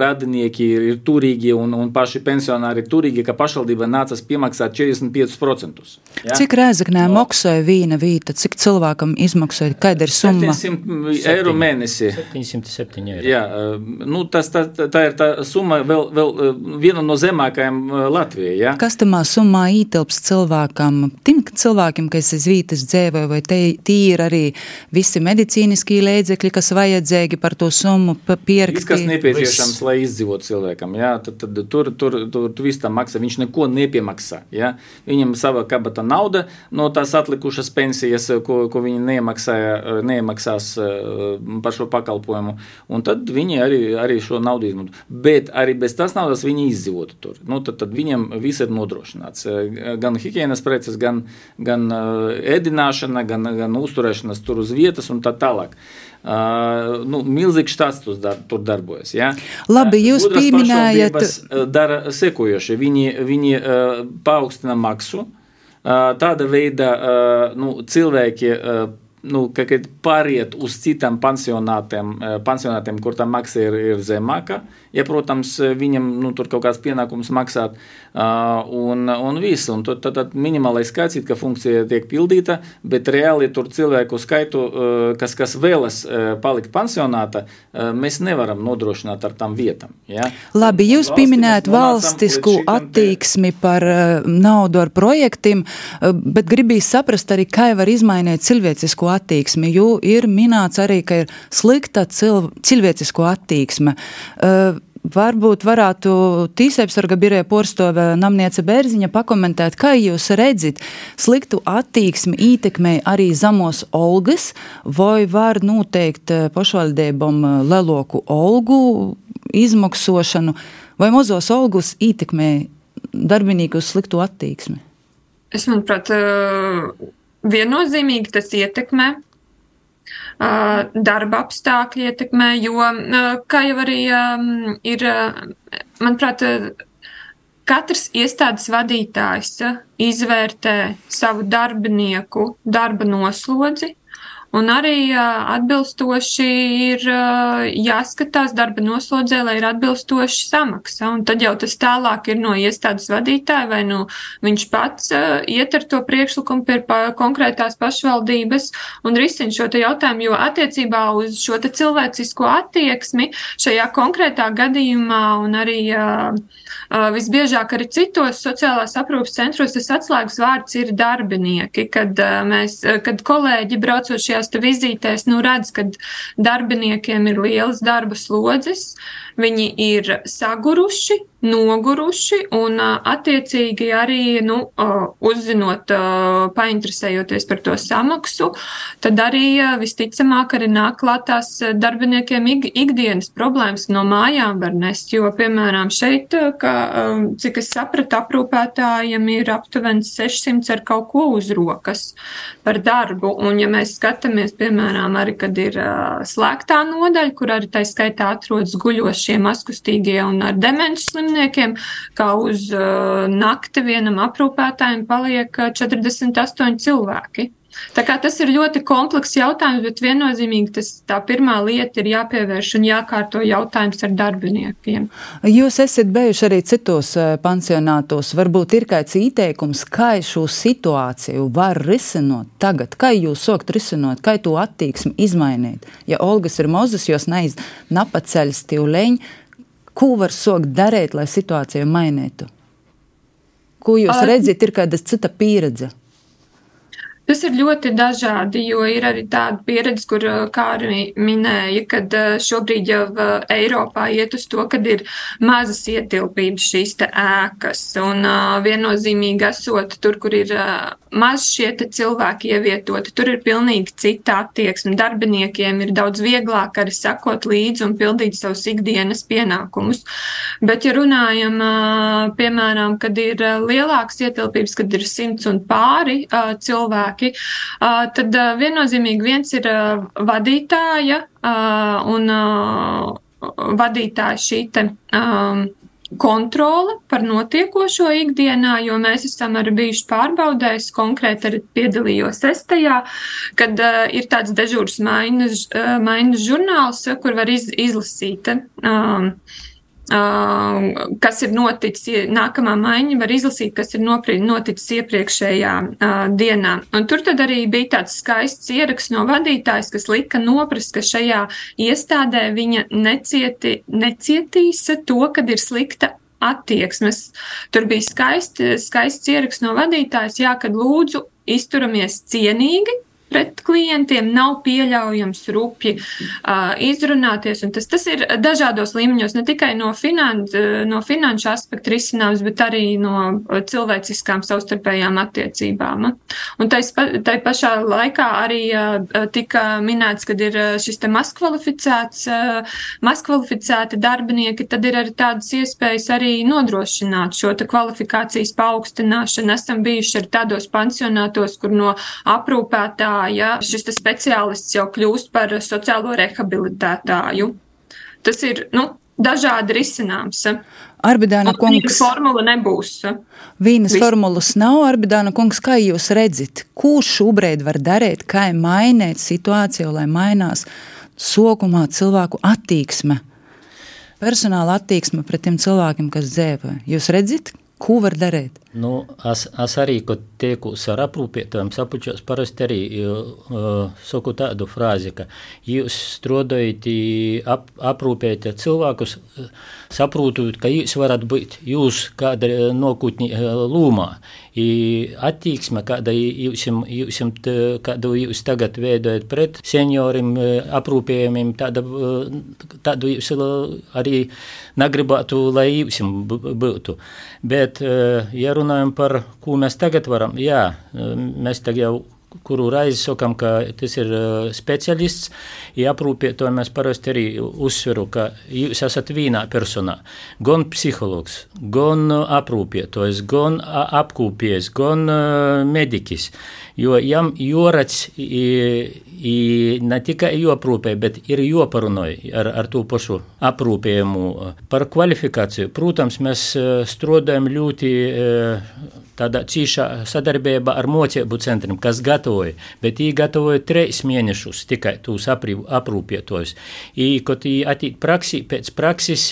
radinieki ir turīgi un, un paši pensionāri ir turīgi, ka pašvaldība nācas piemaksāt četrdesmit pieci procenti. Ja? Cik Rēzeknē no. maksāja vīna vīta, cik cilvēkam izmaksāja, kāda ir summa? septiņsimt eiro mēnesi. septiņsimt septiņi eiro. Jā, nu tas, tā, tā ir tā summa vēl, vēl viena no zemākajām Latvijā. Ja? Kas tamā summā ītilps cilvēkam? Tim cilvēkiem, kas iz vītas dzēvoja, vai te, tī ir arī visi medicīniskī līdzekļi, kas vajadzēgi par to summu pierakstīt? Viss, kas nepieciešams, lai izdzīvot cilvēkam. Ja? Tad, tad tur, tur, tur, tur viss tam maksā, viņš neko nepiemaksā. Ja? Viņam sava kabata nauda no tās atlikušas pensijas, ko, ko viņi neiemaksāja, neiemaksās par šo pakalpojumu, un tad viņi arī, arī šo naudu izmanto. Bet arī bez tās naudas viņi izdzīvotu tur. Nu, tad, tad viņam viss ir nodrošināts. Gan higienas preces, gan, gan ēdināšana, gan, gan uzturēšanas tur uz vietas un tā tālāk. Uh, nu, milzīgs štāts dar, tur darbojas. Ja? Labi, jūs Gudras pieminējat. Dara sekojoši. Viņi, viņi uh, paaugstina maksu. Uh, tāda veida uh, nu, cilvēki uh, nu, pāriet uz citām pansionātiem, uh, pansionātiem, kur tā maksa ir, ir zemāka. Ja, protams, viņam nu, tur kaut kāds pienākums maksāt uh, un, un viss. Un tad, tad minimālais skaits, ka funkcija tiek pildīta, bet reāli tur cilvēku skaitu, uh, kas, kas vēlas uh, palikt pansionāta, uh, mēs nevaram nodrošināt ar tām vietām. Ja? Labi, jūs pieminējat valstisku attieksmi par uh, naudu ar projektiem, uh, bet gribīs saprast arī, kā var izmainīt cilvēcisku attieksmi, jo ir minēts arī, ka ir slikta cil, cilvēcisko attieksme. Uh, Varbūt varētu Tīsēbsarga biroja porstove Namniece Bērziņa pakomentēt, kā jūs redzat sliktu attieksmi ietekmē arī zamos olgas, vai var noteikt pašvaldībām leloku olgu izmaksošanu, vai mozos olgus ietekmē darbinīgu sliktu attieksmi? Es manuprāt, viennozīmīgi tas ietekmē. Darba apstākļi ietekmē, jo, kā jau arī ir, manuprāt, katrs iestādes vadītājs izvērtē savu darbinieku darba noslodzi, un arī atbilstoši ir jāskatās darba noslodzē, lai ir atbilstoši samaksa. Un tad jau tas tālāk ir no iestādes vadītāja, vai nu viņš pats iet ar to priekšlikumu pie konkrētās pašvaldības un risina šo te jautājumu, jo attiecībā uz šo te cilvēcisko attieksmi šajā konkrētā gadījumā un arī visbiežāk arī citos sociālās aprūpes centros tas atslēgas vārds ir darbinieki, kad mēs, kad kolēģi braucot šajās te vizītēs, nu redz, ka darbiniekiem ir lielas darba slodzes, viņi ir saguruši, noguruši un attiecīgi arī, nu, uzzinot, painteresējoties par to samaksu, tad arī visticamāk arī nāk klātās darbiniekiem ikdienas problēmas no mājām var nest, jo, piemēram, šeit, kā, cik es sapratu, aprūpētājiem ir aptuveni sešsimt ar kaut ko uz rokas par darbu, un ja mēs skatāmies, piemēram, arī, kad ir slēgtā nodaļa, kur arī tā skaitā atrodas guļošie, maskustīgie un ar demences slimniekiem, kā uz uh, nakti vienam aprūpētājiem paliek četrdesmit astoņi cilvēki. Tā kā tas ir ļoti komplekss jautājums, bet viennozīmīgi tas tā pirmā lieta ir jāpievērš un jākārto jautājums ar darbiniekiem. Jūs esat bijuši arī citos pansionātos. Varbūt ir kāds ieteikums, kā šo situāciju var risinot tagad? Kā jūs sokt risinot? Kā to attieksmi izmainīt? Ja Olgas ir mozas, jūs neiz napaceļas tīvleņi, ko var sokt darīt, lai situāciju mainītu? Ko jūs redzat, ir kāda cita pieredze? Tas ir ļoti dažādi, jo ir arī tāda pieredze, kur, kā arī minēja, kad šobrīd jau Eiropā iet uz to, kad ir mazas ietilpības šīs te ēkas un viennozīmīgi esot tur, kur ir maz šie te cilvēki ievietoti, tur ir pilnīgi cita attieksme. Darbiniekiem ir daudz vieglāk arī sakot līdzi un pildīt savus ikdienas pienākumus. Bet, ja runājam, piemēram, kad ir lielākas ietilpības, kad ir simts un pāri cilvēki, tad viennozīmīgi viens ir vadītāja un vadītāja šī te kontrole par notiekošo ikdienā, jo mēs esam arī bijuši pārbaudēs, konkrēti arī piedalījos es tajā, kad ir tāds dežūras maiņas, maiņas žurnāls, kur var iz, izlasīt um, Uh, kas ir noticis, nākamā maiņa var izlasīt, kas ir noticis iepriekšējā uh, dienā. Un tur tad arī bija tāds skaists ieraksts no vadītājas, kas lika noprast, ka šajā iestādē viņa necieti, necietīs to, kad ir slikta attieksmes. Tur bija skaisti, skaists ieraksts no vadītājas, jā, kad lūdzu izturamies cienīgi pret klientiem, nav pieļaujams rupji uh, izrunāties, un tas, tas ir dažādos līmeņos, ne tikai no, finan, no finanšu aspektu risinājums, bet arī no cilvēciskām savstarpējām attiecībām. Un tai, tai pašā laikā arī uh, tika minēts, kad ir šis te mazkvalificēts, uh, mazkvalificēti darbinieki, tad ir arī tādas iespējas arī nodrošināt šo te kvalifikācijas paaugstināšanu. Esam bijuši arī tādos pansionātos, kur no aprūpētā ja šis speciālists jau kļūst par sociālo rehabilitētāju. Tas ir, nu, dažādi risināms. Arbidāna kungs. Formula nebūs. Vīnas formulas nav, Arbidāna kungs, kā jūs redzat, ko šobrīd var darīt, kā mainīt situāciju, lai mainās sokumā cilvēku attieksme, personāla attieksme pret tiem cilvēkiem, kas dzīvo. Jūs redzat, ko var darīt? Nu, es, es arī, kad tiekos ar aprūpētājiem, sapučos parasti arī uh, saku tādu frāzi, ka jūs strādājat ap, aprūpēt cilvēkus, saprotot, ka jūs varat būt jūs kāda nokutņi lūmā. I attieksme, kāda jūs, jūs, kādu jūs tagad veidojat pret seniorim, aprūpējumiem, tāda, tādu jūs arī negribētu, lai jūs būtu. Bet, ja runājam par, ko mēs tagad varam, jā, mēs tagad jau kuru reizi sakam, ka tas ir specialists, ja aprūpētāji mēs parasti arī uzsveru, ka jūs esat vienā personā. Gan psihologs, gan aprūpētājs, gan apkūpējs, gan medikis. Jo jam jorac ne tikai joprūpē, bet ir joparunoj ar, ar to pašu aprūpējumu. Par kvalifikāciju, protams, mēs strādājam ļoti tādā cīšā sadarbībā ar mocību centriem, kas gatavoja, bet viņi gatavoja trīs mēnešus tikai tūs aprūpētojus. I, kad viņi atīt praksī, pēc praksis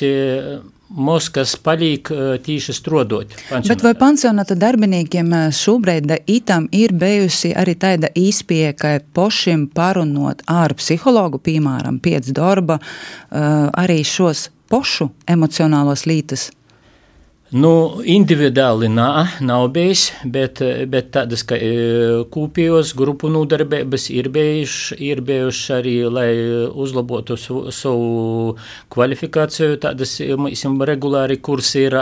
mūs, kas palīk tīši strodot. Bet vai pansionāta darbiniekiem šobrīd itam ir bijusi arī tāda īspēja, ka pošim parunot ar psihologu, piemēram, pēc darba, arī šos pošu emocionālos lītas? Nu, individuāli nā, nav bijis, bet, bet tādas, ka kūpījos grupu nodarbības ir bijuši, ir bijuši arī, lai uzlabotu savu kvalifikāciju, tādas, mēs regulāri kursi ir,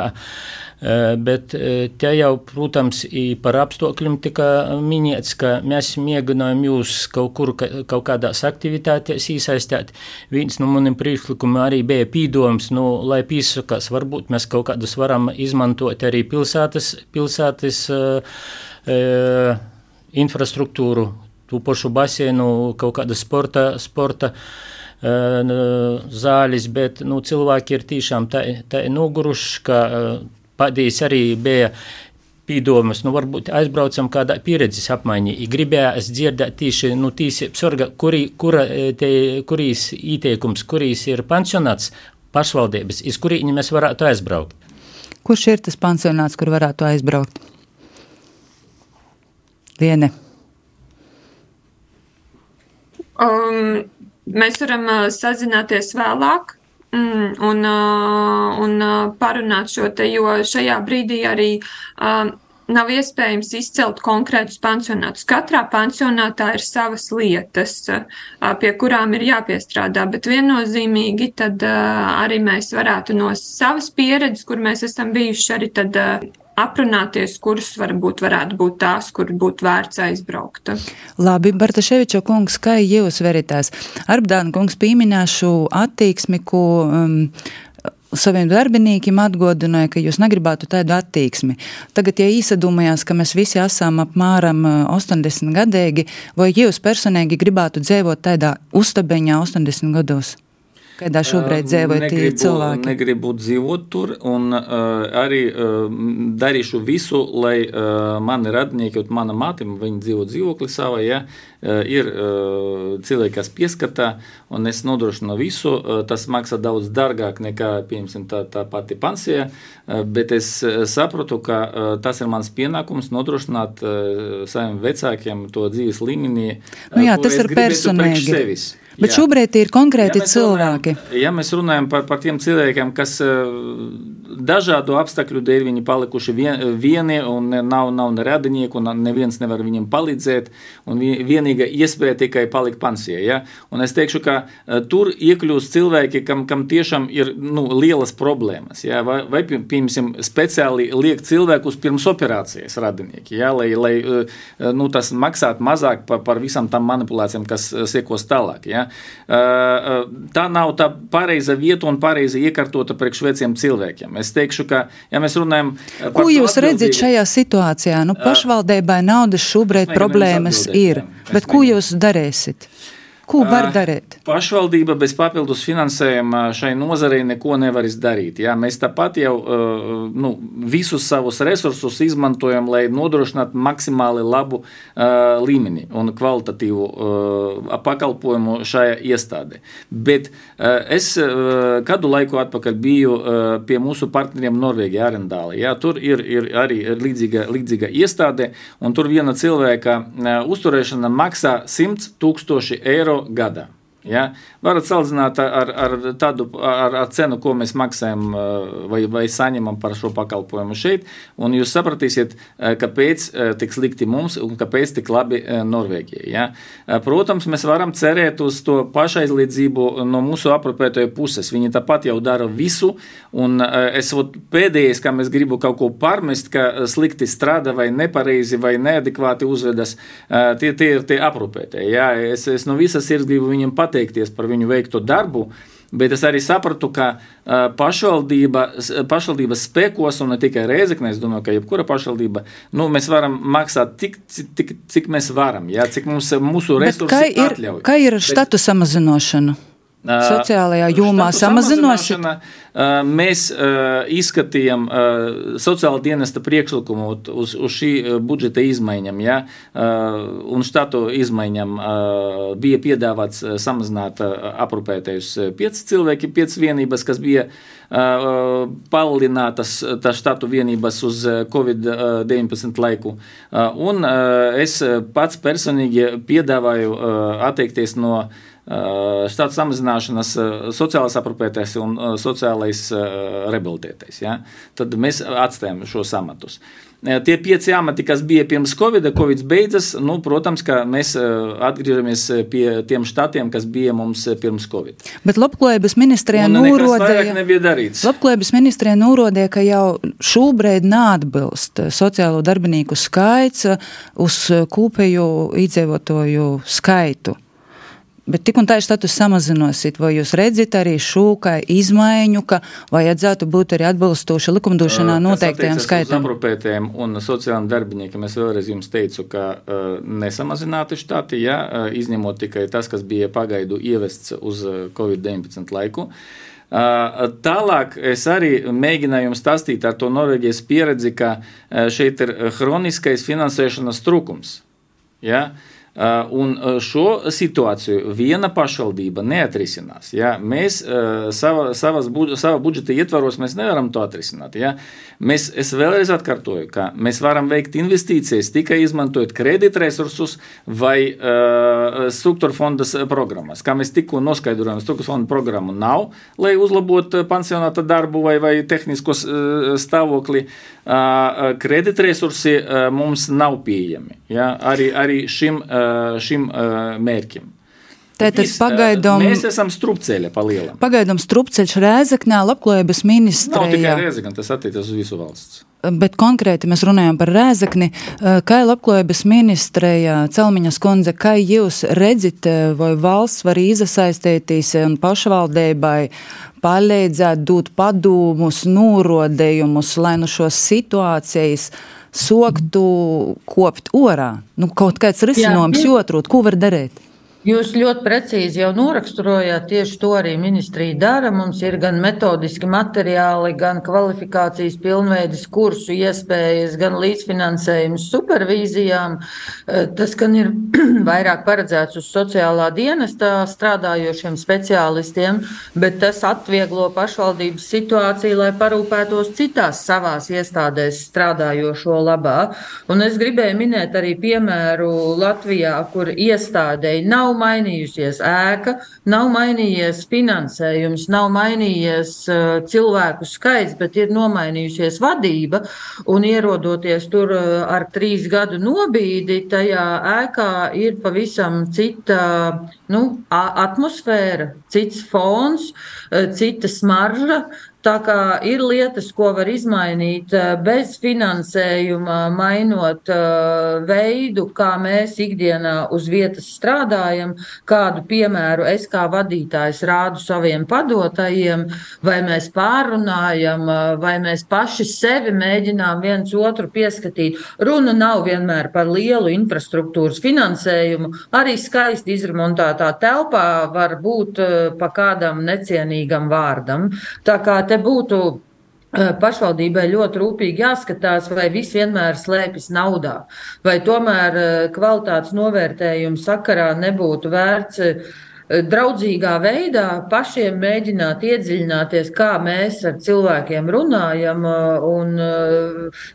bet te jau, protams, par apstākļiem tika minēts, ka mēs mēģinājām jūs kaut kur, kaut kādās aktivitātēs iesaistīt. Viens no maniem priekšlikumiem arī bija pīdojums, nu, lai pīsakās, varbūt mēs kaut kādus varam izmantot arī pilsētas, pilsētas uh, infrastruktūru, tu pašu baseinu, kaut kāda sporta, sporta uh, zāles, bet, nu, cilvēki ir tiešām tā, tā noguruši, ka uh, Pādījis arī bija pīdomus, nu varbūt aizbraucam kādā pieredzes apmaiņā. Gribējās dzirdēt tieši, nu, tīsību sarga, kuri, kura, te, kurīs ieteikums, kurīs ir pansionāts pašvaldības, iz kurīņi mēs varētu aizbraukt. Kurš ir tas pansionāts, kur varētu aizbraukt? Liene. Um, mēs varam uh, sazināties vēlāk. Mm, un, uh, un uh, parunāt šo te, jo šajā brīdī arī uh, nav iespējams izcelt konkrētus pansionātus. Katrā pansionātā ir savas lietas, uh, pie kurām ir jāpiestrādā, bet viennozīmīgi tad uh, arī mēs varētu no savas pieredzes, kur mēs esam bijuši arī tad uh, aprunāties, kuras varbūt varētu būt tās, kur būtu vērts aizbraukt. Labi, Bartaševiča kungs, kā jūs veritās? Arbdāna kungs pīminēšu attieksmi, ko um, saviem darbinīkiem atgodināja, ka jūs negribētu tādu attieksmi. Tagad, ja īsadūmējās, ka mēs visi esam apmēram ostoņdesmit gadīgi, vai jūs personīgi gribētu dzīvot tādā uztabeņā ostoņdesmit gados? Kādā šobrīd dzīvoja tie cilvēki? Negribu dzīvot tur, un uh, arī uh, darīšu visu, lai uh, mani radinieki, un mana māte, viņi dzīvo dzīvokli savā, ja, uh, ir uh, cilvēki, kas pieskatā, un es nodrošinu visu. Uh, tas maksā daudz dārgāk nekā, piemēram, tā, tā pati pensija, uh, bet es uh, saprotu, ka uh, tas ir mans pienākums nodrošināt uh, saviem vecākiem to dzīves līmenī, uh, nu jā, tas ir personīgi. Bet jā. Šobrīd ir konkrēti ja cilvēki. Runājam, ja mēs runājam par, par tiem cilvēkiem, kas dažādu apstākļu dēļ viņi palikuši vien, vieni un nav, nav ne radinieku, un neviens nevar viņiem palīdzēt, un vienīga iespēja tikai palikt pensijā. Ja? Un es teikšu, ka tur iekļūst cilvēki, kam, kam tiešām ir nu, lielas problēmas. Ja? Vai, vai piemēram, speciāli liek cilvēkus pirms operācijas radinieki, ja? lai, lai nu, tas maksāt mazāk par, par visam tam manipulācijām, kas sekos tālāk. Ja? Tā nav tā pareiza vieta un pareiza iekārtota priekš veciem cilvēkiem. Es teikšu, ka, ja mēs runājam... Ko jūs redzat šajā situācijā? Nu, pašvaldībai naudas šobrīd problēmas ir, bet ko jūs darēsit? Ko var darīt? Pašvaldība bez papildus finansējuma šai nozarei neko nevar izdarīt. Jā, mēs tāpat jau nu, visus savus resursus izmantojam, lai nodrošinātu maksimāli labu uh, līmeni un kvalitatīvu uh, pakalpojumu šajā iestādē. Bet uh, es uh, kādu laiku atpakaļ biju uh, pie mūsu partneriem Norvēģijā, Arendālī. Jā, tur ir, ir arī līdzīga, līdzīga iestāde, un tur viena cilvēka uh, uzturēšana maksā simt tūkstoši eiro gadā. Ja? Varat salīdzināt ar, ar tādu ar, ar cenu, ko mēs maksājam vai, vai saņemam par šo pakalpojumu šeit, un jūs sapratīsiet, kāpēc tik slikti mums un kāpēc tik labi Norvēģijai. Ja? Protams, mēs varam cerēt uz to pašaizliedzību no mūsu aprūpētāju puses. Viņi tāpat jau dara visu, un es pēdējais, kam es gribu kaut ko pārmest, ka slikti strādā vai nepareizi vai neadekvāti uzvedas, tie, tie ir tie aprūpētāji. Ja? Es, es no visas sirds gribu viņiem pat pateikties par viņu veikto darbu, bet es arī sapratu, ka uh, pašvaldība, pašvaldības spēkos, un ne tikai Rēzekne, es domāju, ka jebkura pašvaldība, nu, mēs varam maksāt tik, cik, cik mēs varam, jā, cik mums, mūsu resursi atļauj. Kā ir štatu bet, samazināšana? Sociālajā jomā samazinošana. Mēs izskatījām sociāla dienesta priekšlikumu uz, uz šī budžeta izmaiņam, ja? Un štatu izmaiņam bija piedāvāts samazināt aprūpētājus pieci cilvēki, pieci vienības, kas bija palielinātas tā štatu vienības uz covid deviņpadsmit laiku. Un es pats personīgi piedāvāju atteikties no štatu samazināšanas sociālais aprūpētājs un sociālais rehabilitētājs. Ja? Tad mēs atstājam šos amatus. Tie pieci amati, kas bija pirms Covid, Covid beidzas, nu, protams, ka mēs atgriežamies pie tiem štatiem, kas bija mums pirms Covid. Bet Labklājības ministrijā norādīja, Labklājības ministrijā norādīja, ka jau šobrīd neatbilst sociālo darbinieku skaits uz kopējo iedzīvotāju skaitu. Bet tik un tā ir status samazinosit, vai jūs redzat arī šo kā izmaiņu, ka vajadzētu būt arī atbilstoši likumdošanā noteiktajām skaitam? Kas aprūpētājiem un sociālajiem darbiniekiem, es vēlreiz jums teicu, ka uh, nesamazināti štati, ja, uh, izņemot tikai tas, kas bija pagaidu ievests uz covid deviņpadsmit laiku. Tālāk es arī mēģināju jums stāstīt ar to Norvēģijas pieredzi, ka šeit ir hroniskais finansēšanas trūkums. Ja? Un šo situāciju viena pašvaldība neatrisinās. Ja? Mēs sava, savas, sava budžeta ietvaros mēs nevaram to atrisināt. Ja? Mēs, es vēlreiz atkārtoju, ka mēs varam veikt investīcijas tikai izmantojot kreditresursus vai uh, struktūra fondas programmas. Kā mēs tikko noskaidrojam, struktūra fonda programmu nav, lai uzlabotu pansionāta darbu vai, vai tehnisko uh, stāvokli. Uh, kreditresursi uh, mums nav pieejami. Ja? Arī, arī šim uh, šim uh, mērķim. Tātad pagaidām... Mēs esam strupceļa pa lielam. Pagaidām strupceļš Rēzeknē, Labklājības ministrijā. Nav tikai Rēzekne, tas attiecas uz visu valsts. Bet konkrēti mēs runājam par Rēzekni. Kā Labklājības ministrijā, Celmiņas kundze, kā jūs redzat, vai valsts var iesaistīties un pašvaldībai palīdzēt dot padomus, norodējumus, lai no šos situācijas soktu kopt orā. Nu, kaut kāds risinājums jotrūt, ko var darīt? Jūs ļoti precīzi jau noraksturojāt, tieši to arī ministrija dara. Mums ir gan metodiski materiāli, gan kvalifikācijas pilnveides kursu iespējas, gan līdzfinansējums supervīzijām. Tas, gan ir vairāk paredzēts uz sociālā dienestā strādājošiem speciālistiem, bet tas atvieglo pašvaldības situāciju, lai parūpētos citās savās iestādēs strādājošo labā. Un es gribēju minēt arī piemēru Latvijā, kur iestādei nav Nav mainījusies ēka, nav mainījies finansējums, nav mainījies uh, cilvēku skaits, bet ir nomainījusies vadība, un ierodoties tur uh, ar trīs gadu nobīdi, tajā ēkā ir pavisam cita nu, atmosfēra, cits fons, uh, cita smarža. Tā kā ir lietas, ko var izmainīt bez finansējuma, mainot uh, veidu, kā mēs ikdienā uz vietas strādājam, kādu piemēru es kā vadītājs rādu saviem padotajiem, vai mēs pārunājam, vai mēs paši sevi mēģinām viens otru pieskatīt. Runa nav vienmēr par lielu infrastruktūras finansējumu, arī skaisti izremontētā telpā var būt uh, pa kādam necienīgam vārdam. Tā kā te būtu pašvaldībai ļoti rūpīgi jāskatās, vai viss vienmēr slēpjas naudā, vai tomēr kvalitātes novērtējuma sakarā nebūtu vērts draudzīgā veidā pašiem mēģināt iedziļināties, kā mēs ar cilvēkiem runājam, un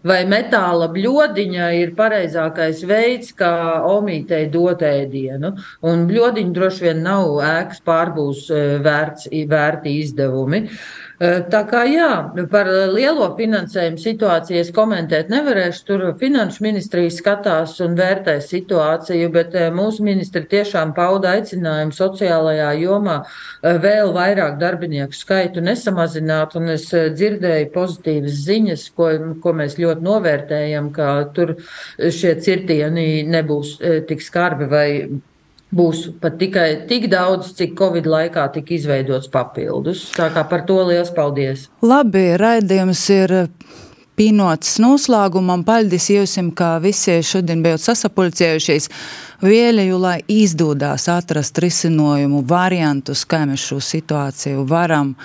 vai metāla bļodiņa ir pareizākais veids, kā omītei dot ēdienu. Un bļodiņa droši vien nav ēkas pārbūs vērts, vērti izdevumi. Tā kā jā, par lielo finansējumu situāciju es komentēt nevarēšu, tur finanšu ministrija skatās un vērtē situāciju, bet mūsu ministri tiešām pauda aicinājumu sociālajā jomā vēl vairāk darbinieku skaitu nesamazināt, un es dzirdēju pozitīvas ziņas, ko, ko mēs ļoti novērtējam, ka tur šie cirtieni nebūs tik skarbi vai būs pat tikai tik daudz, cik Covid laikā tika izveidots papildus. Tā kā par to liels paldies. Labi, raidījums ir pīnots noslēgumam. Paldies jūsim, kā visi šodien bijot sasapulcējušies. Vēlēju, lai izdodās atrast risinājumu variantus, kā mēs šo situāciju varam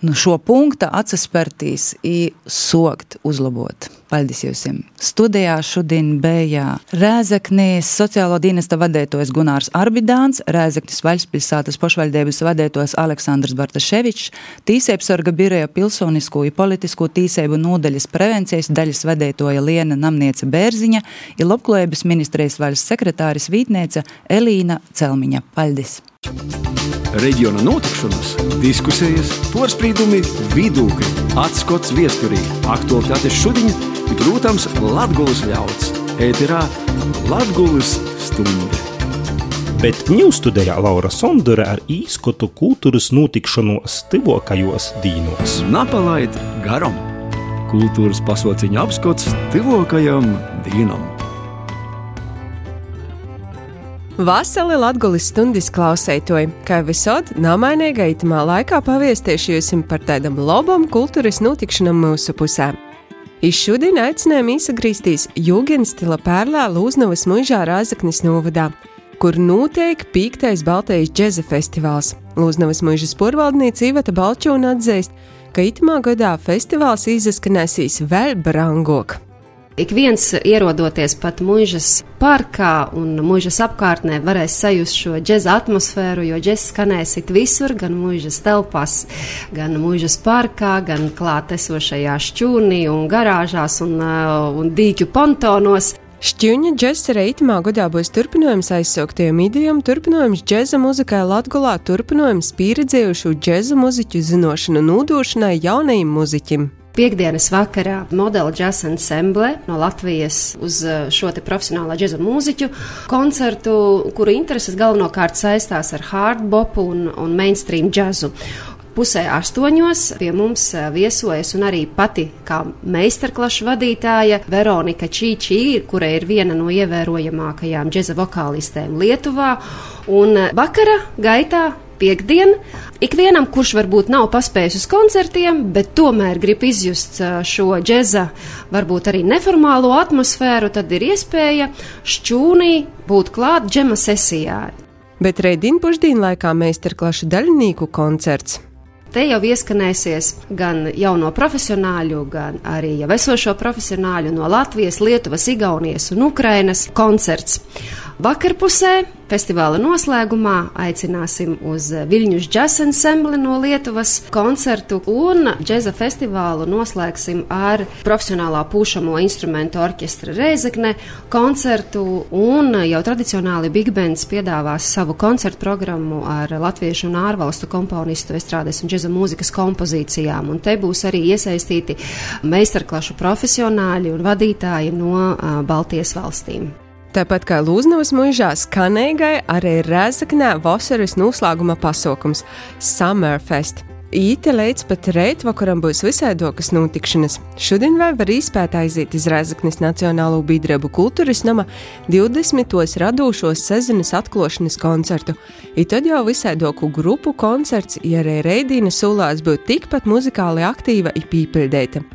nu, šo punktu atsaspērtīs i sokt uzlabot. Paldies jūsim. Studijā šodien bija Rēzeknis sociālo dienesta vadētojs Gunārs Arbidāns, Rēzeknis Vaļspilsātas pašvaldības vadētojs Aleksandrs Bartaševičs, Tīsēbsarga biroja pilsonisko i politisko tīsēbu nodaļas prevencijas daļas vadētoja Liena Namniece Bērziņa i Labklājības ministrijas valsts sekretāris vītniece Elīna Celmiņa. Paldies! Reģiona notikšanas, diskusijas, porspīdumi, vidūkļi, atskots viesturī, aktualitātes šodiņa i, protams, Latgulas ļauds. Ēterā Latgulas stunde. Bet ņūstudējā Laura Sondore ar īskotu kultūras notikšanos tivokajos dīnos. Napalaid garam. Kultūras pasauciņa apskots tivokajam dīnam. Vasali Latgulis stundis klausētoji, kā visod namainīga itamā laikā paviestieši jūsim par tādam labam kultūras notikšanam mūsu pusē. Iz šodien aicinājām īsagrīstīs Jūgenstila pērlā Lūznavas muižā Rāzaknis novadā, kur notiek pīktais Baltijas džeza festivāls. Lūznavas muižas porvaldniece Iveta Balčūna atzīst, ka itamā gadā festivāls izskanēsīs vēl brangok. Ik viens ierodoties pat muižas parkā un muižas apkārtnē varēs sajust šo džeza atmosfēru, jo džez skanēs it visur, gan muižas telpās, gan muižas parkā, gan klāt esošajā šķūnī un garāžās un, un dīķu pontonos. Šķiuņa džezs arī itamā gadā būs turpinājums aizsauktajam idejam, turpinājums džeza muzikai Latgolā, turpinājums pieredzējušu džeza muziķu zinošanu nūdošanai jaunajiem muziķim. Piektdienas vakarā modela džaz ensemble no Latvijas uz šo te profesionālā džeza mūziķu koncertu, kuru intereses galvenokārt saistās ar hardbopu un, un mainstream džazu. Pusē astoņos pie mums viesojas un arī pati kā meistarklašu vadītāja Veronika Čīčī, kura ir viena no ievērojamākajām džeza vokālistēm Lietuvā. Un vakara gaitā piektdien, ikvienam, kurš varbūt nav paspējis uz koncertiem, bet tomēr grib izjust šo džeza, varbūt arī neformālo atmosfēru, tad ir iespēja šķūnī būt klāt džema sesijā. Bet rēdien pušdīnu laikā meistarklašu daļinīku koncerts. Te jau ieskanēsies gan jauno profesionāļu, gan arī jau esošo profesionāļu no Latvijas, Lietuvas, Igaunijas un Ukrainas koncerts. Vakarpusē festivāla noslēgumā aicināsim uz Viļņus džaz ensembli no Lietuvas koncertu un džeza festivālu noslēgsim ar profesionālā pūšamo instrumentu orķestra Rēzekne koncertu un jau tradicionāli Big Bands piedāvās savu koncertu programmu ar latviešu un ārvalstu komponistu estrādes un džeza mūzikas kompozīcijām. Un te būs arī iesaistīti meistarklašu profesionāļi un vadītāji no uh, Baltijas valstīm. Tāpat kā Lūznavas muižā skanīgai arī Rēzeknē vasaras noslēguma pasaukums Summerfest. Īte līdz pat reit vakaram būs visaidokas notikšanas. Šodien vēl var īspēt aiziet iz Rēzeknes Nacionālo biedrību kultūras nama divdesmitos radūšos sezonas atklošanas koncertu. I tad jau visaidoku grupu koncerts, ja arī reidīna sulās būt tikpat muzikāli aktīva i pīpildēta.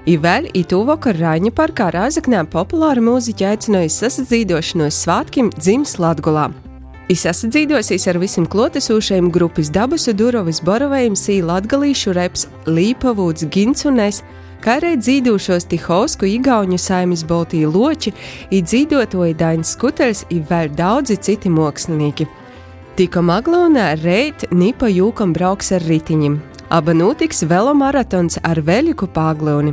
I vēl i tuvokar Rāņa parkā Rēzeknē populāri mūziķi aicināja sasadzīdošanos svātkim dzims Latgolā. I sasadzīdosīs ar visiem klotesūšajiem grupas Dabusu Durovis Borovējiem sī latgalīšu reps Līpavūds Gins un es, kā arī dzīdūšos Tihovsku Igauņu saimis Boltī Loči, i dzīdotoji Dainis Skuteļs i vēl daudzi citi mākslinieki. Tikko Maglonā reit Nipa Jūkam brauks ar ritiņim. Aba notiks velomaratons ar Veļiku Pāgloni.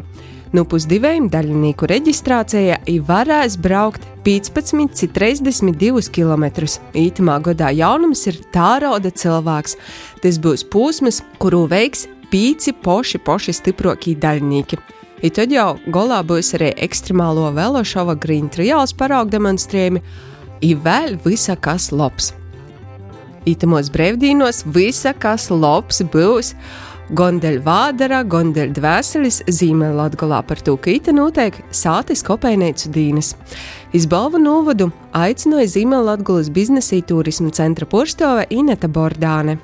Nu pusdivējiem daļinīku reģistrācijā i varēs braukt piecpadsmit līdz trīsdesmit divus kilometrus. Ītamā gadā jaunums ir tārauda cilvēks. Tas būs pūsmas, kuru veiks pīci poši poši stiprokī daļinīki. I tad jau golā būs arī ekstremālo velošova Green Trials paraug demonstrējumi. I vēl visa kas labs. Itamos brevdīnos visa kas labs būs Gondeļ vādara, gondeļ dvēselis Zīmē Latgolā par to, ka ita notiek sātis kopējneicu dīnas. Izbalvu novadu aicināja Zīmē Latgolas biznesa turismu centra porstove Ineta Bordāne.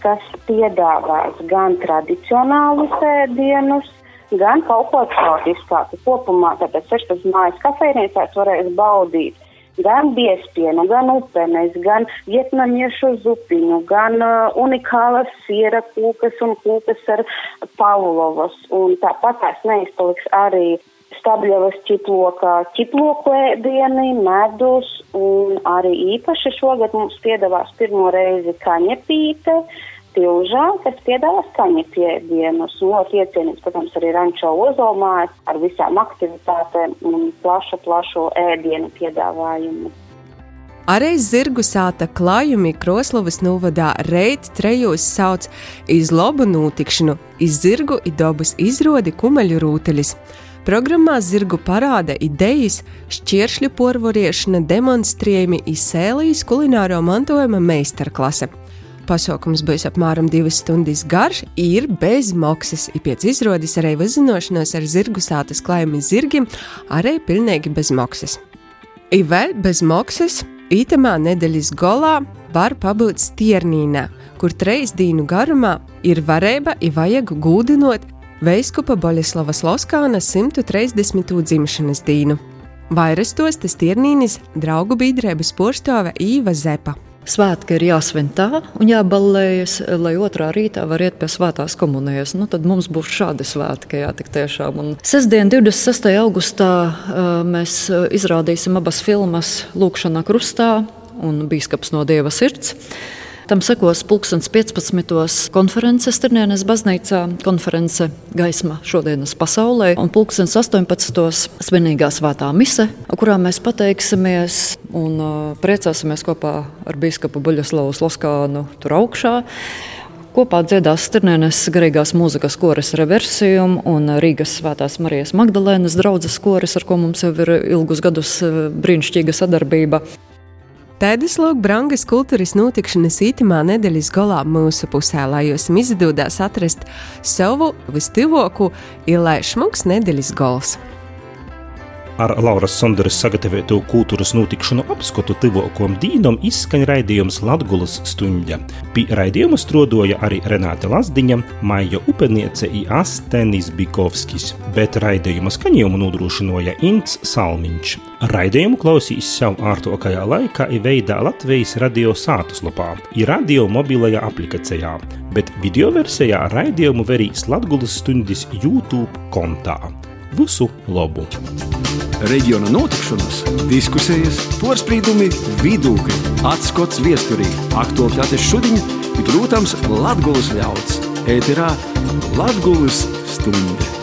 Kas piedāvās gan tradicionālus ēdienus, gan kaut ko eksotiskāku. Kopumā tāpēc sešpadsmit mājas kafejnīcās varēs baudīt gan biespienu, gan upenes, gan vietnamiešu zupiņu, gan uh, unikālas siera kūkas un kūkas ar pavlovas. Un tāpat tās neizpaliks arī Stabļevas ķiplokā ķiploku ēdieni, medus, un arī īpaši šogad mums piedāvās pirmo reizi kaņepīte, Tilžā, kas piedāvās kaņepēdienus. Ļoti iecienīts, protams, arī Rančo ozolmājas ar visām aktivitātēm un plašu, plašu ēdienu piedāvājumu. Arī zirgu sāta klājumi Kroslavas novadā reit trejos sauc iz lobu notikšanu, iz zirgu i dobas izrodi kumeļu rūteļis. Programmā zirgu parāda idejas, šķiršļu porvoriešana, demonstrējumi i sēlijas kulināro mantojuma meistarklase. Pasaukums būs apmēram divas stundas garš, ir bez maksas, i pēc izrodas arī vizinošanos ar zirgu sātas klājumi zirgim, arī pilnīgi bez maksas. I vēl bez maksas, itamā nedeļas golā var pabūt Stiernīnā, kur treis dīnu garumā ir varēba i vajag gūdinot veiskupa Boļislavas Loskāna simt trīsdesmito dzimšanas dīnu. Vairastos tas Stiernīnis draugu biedrības porstove Īva Zepa. Svētki ir jāsvin tā un jāballējas, lai otrā rītā var iet pie svētās komunijas. Nu, tad mums būs šādi svētki, jā, tik tiešām. Un sestdien, divdesmit sestajā augustā, mēs izrādīsim abas filmas Lūkšana krustā un Bīskaps no Dieva sirds. Tam sekos pulkstens piecpadsmitos konference Stirnienes baznīcā, konference Gaisma šodienas pasaulē, un pulkstens astoņpadsmitos svinīgā svētā mise, kurā mēs pateiksimies un uh, priecāsimies kopā ar bīskapu Buļaslavu Sloskānu tur augšā. Kopā dziedās Stirnienes garīgās mūzikas koris Reversium un Rīgas Svētās Marijas Magdalēnas draudzes koris, ar ko mums jau ir ilgus gadus brīnišķīga sadarbība. Tādas lūk brangas kultūras notikšanas itamā nedēļas galā mūsu pusē, lai jūs izdodās atrast savu vistīvoku, ir lai šmuks nedēļas gals. Ar Lauras Sonderes sagatavotu kultūras notikšanu apskatu tivokam dīnam izskaņ raidījums Latgulas stuņģa. Pie raidījuma strodoja arī Renāte Lazdiņa, Maija Upeniece i Astenis Bikovskis, bet raidījuma skaņojumu nodrošinoja Ints Salmiņš. Raidījumu klausīs sev ārtokajā laikā i veidā Latvijas radio sātuslapā, i radio mobilajā aplikacijā, bet video versijā raidījumu verīs Latgulas stuņdis YouTube kontā. Visu labu! Reģiona notikšanas, diskusijas, porspīdumi, vidūkļi, atskots viesturī, aktualitātes šodiņa ir, protams, Latgulas ļauds. Ēterā Latgulas stunde.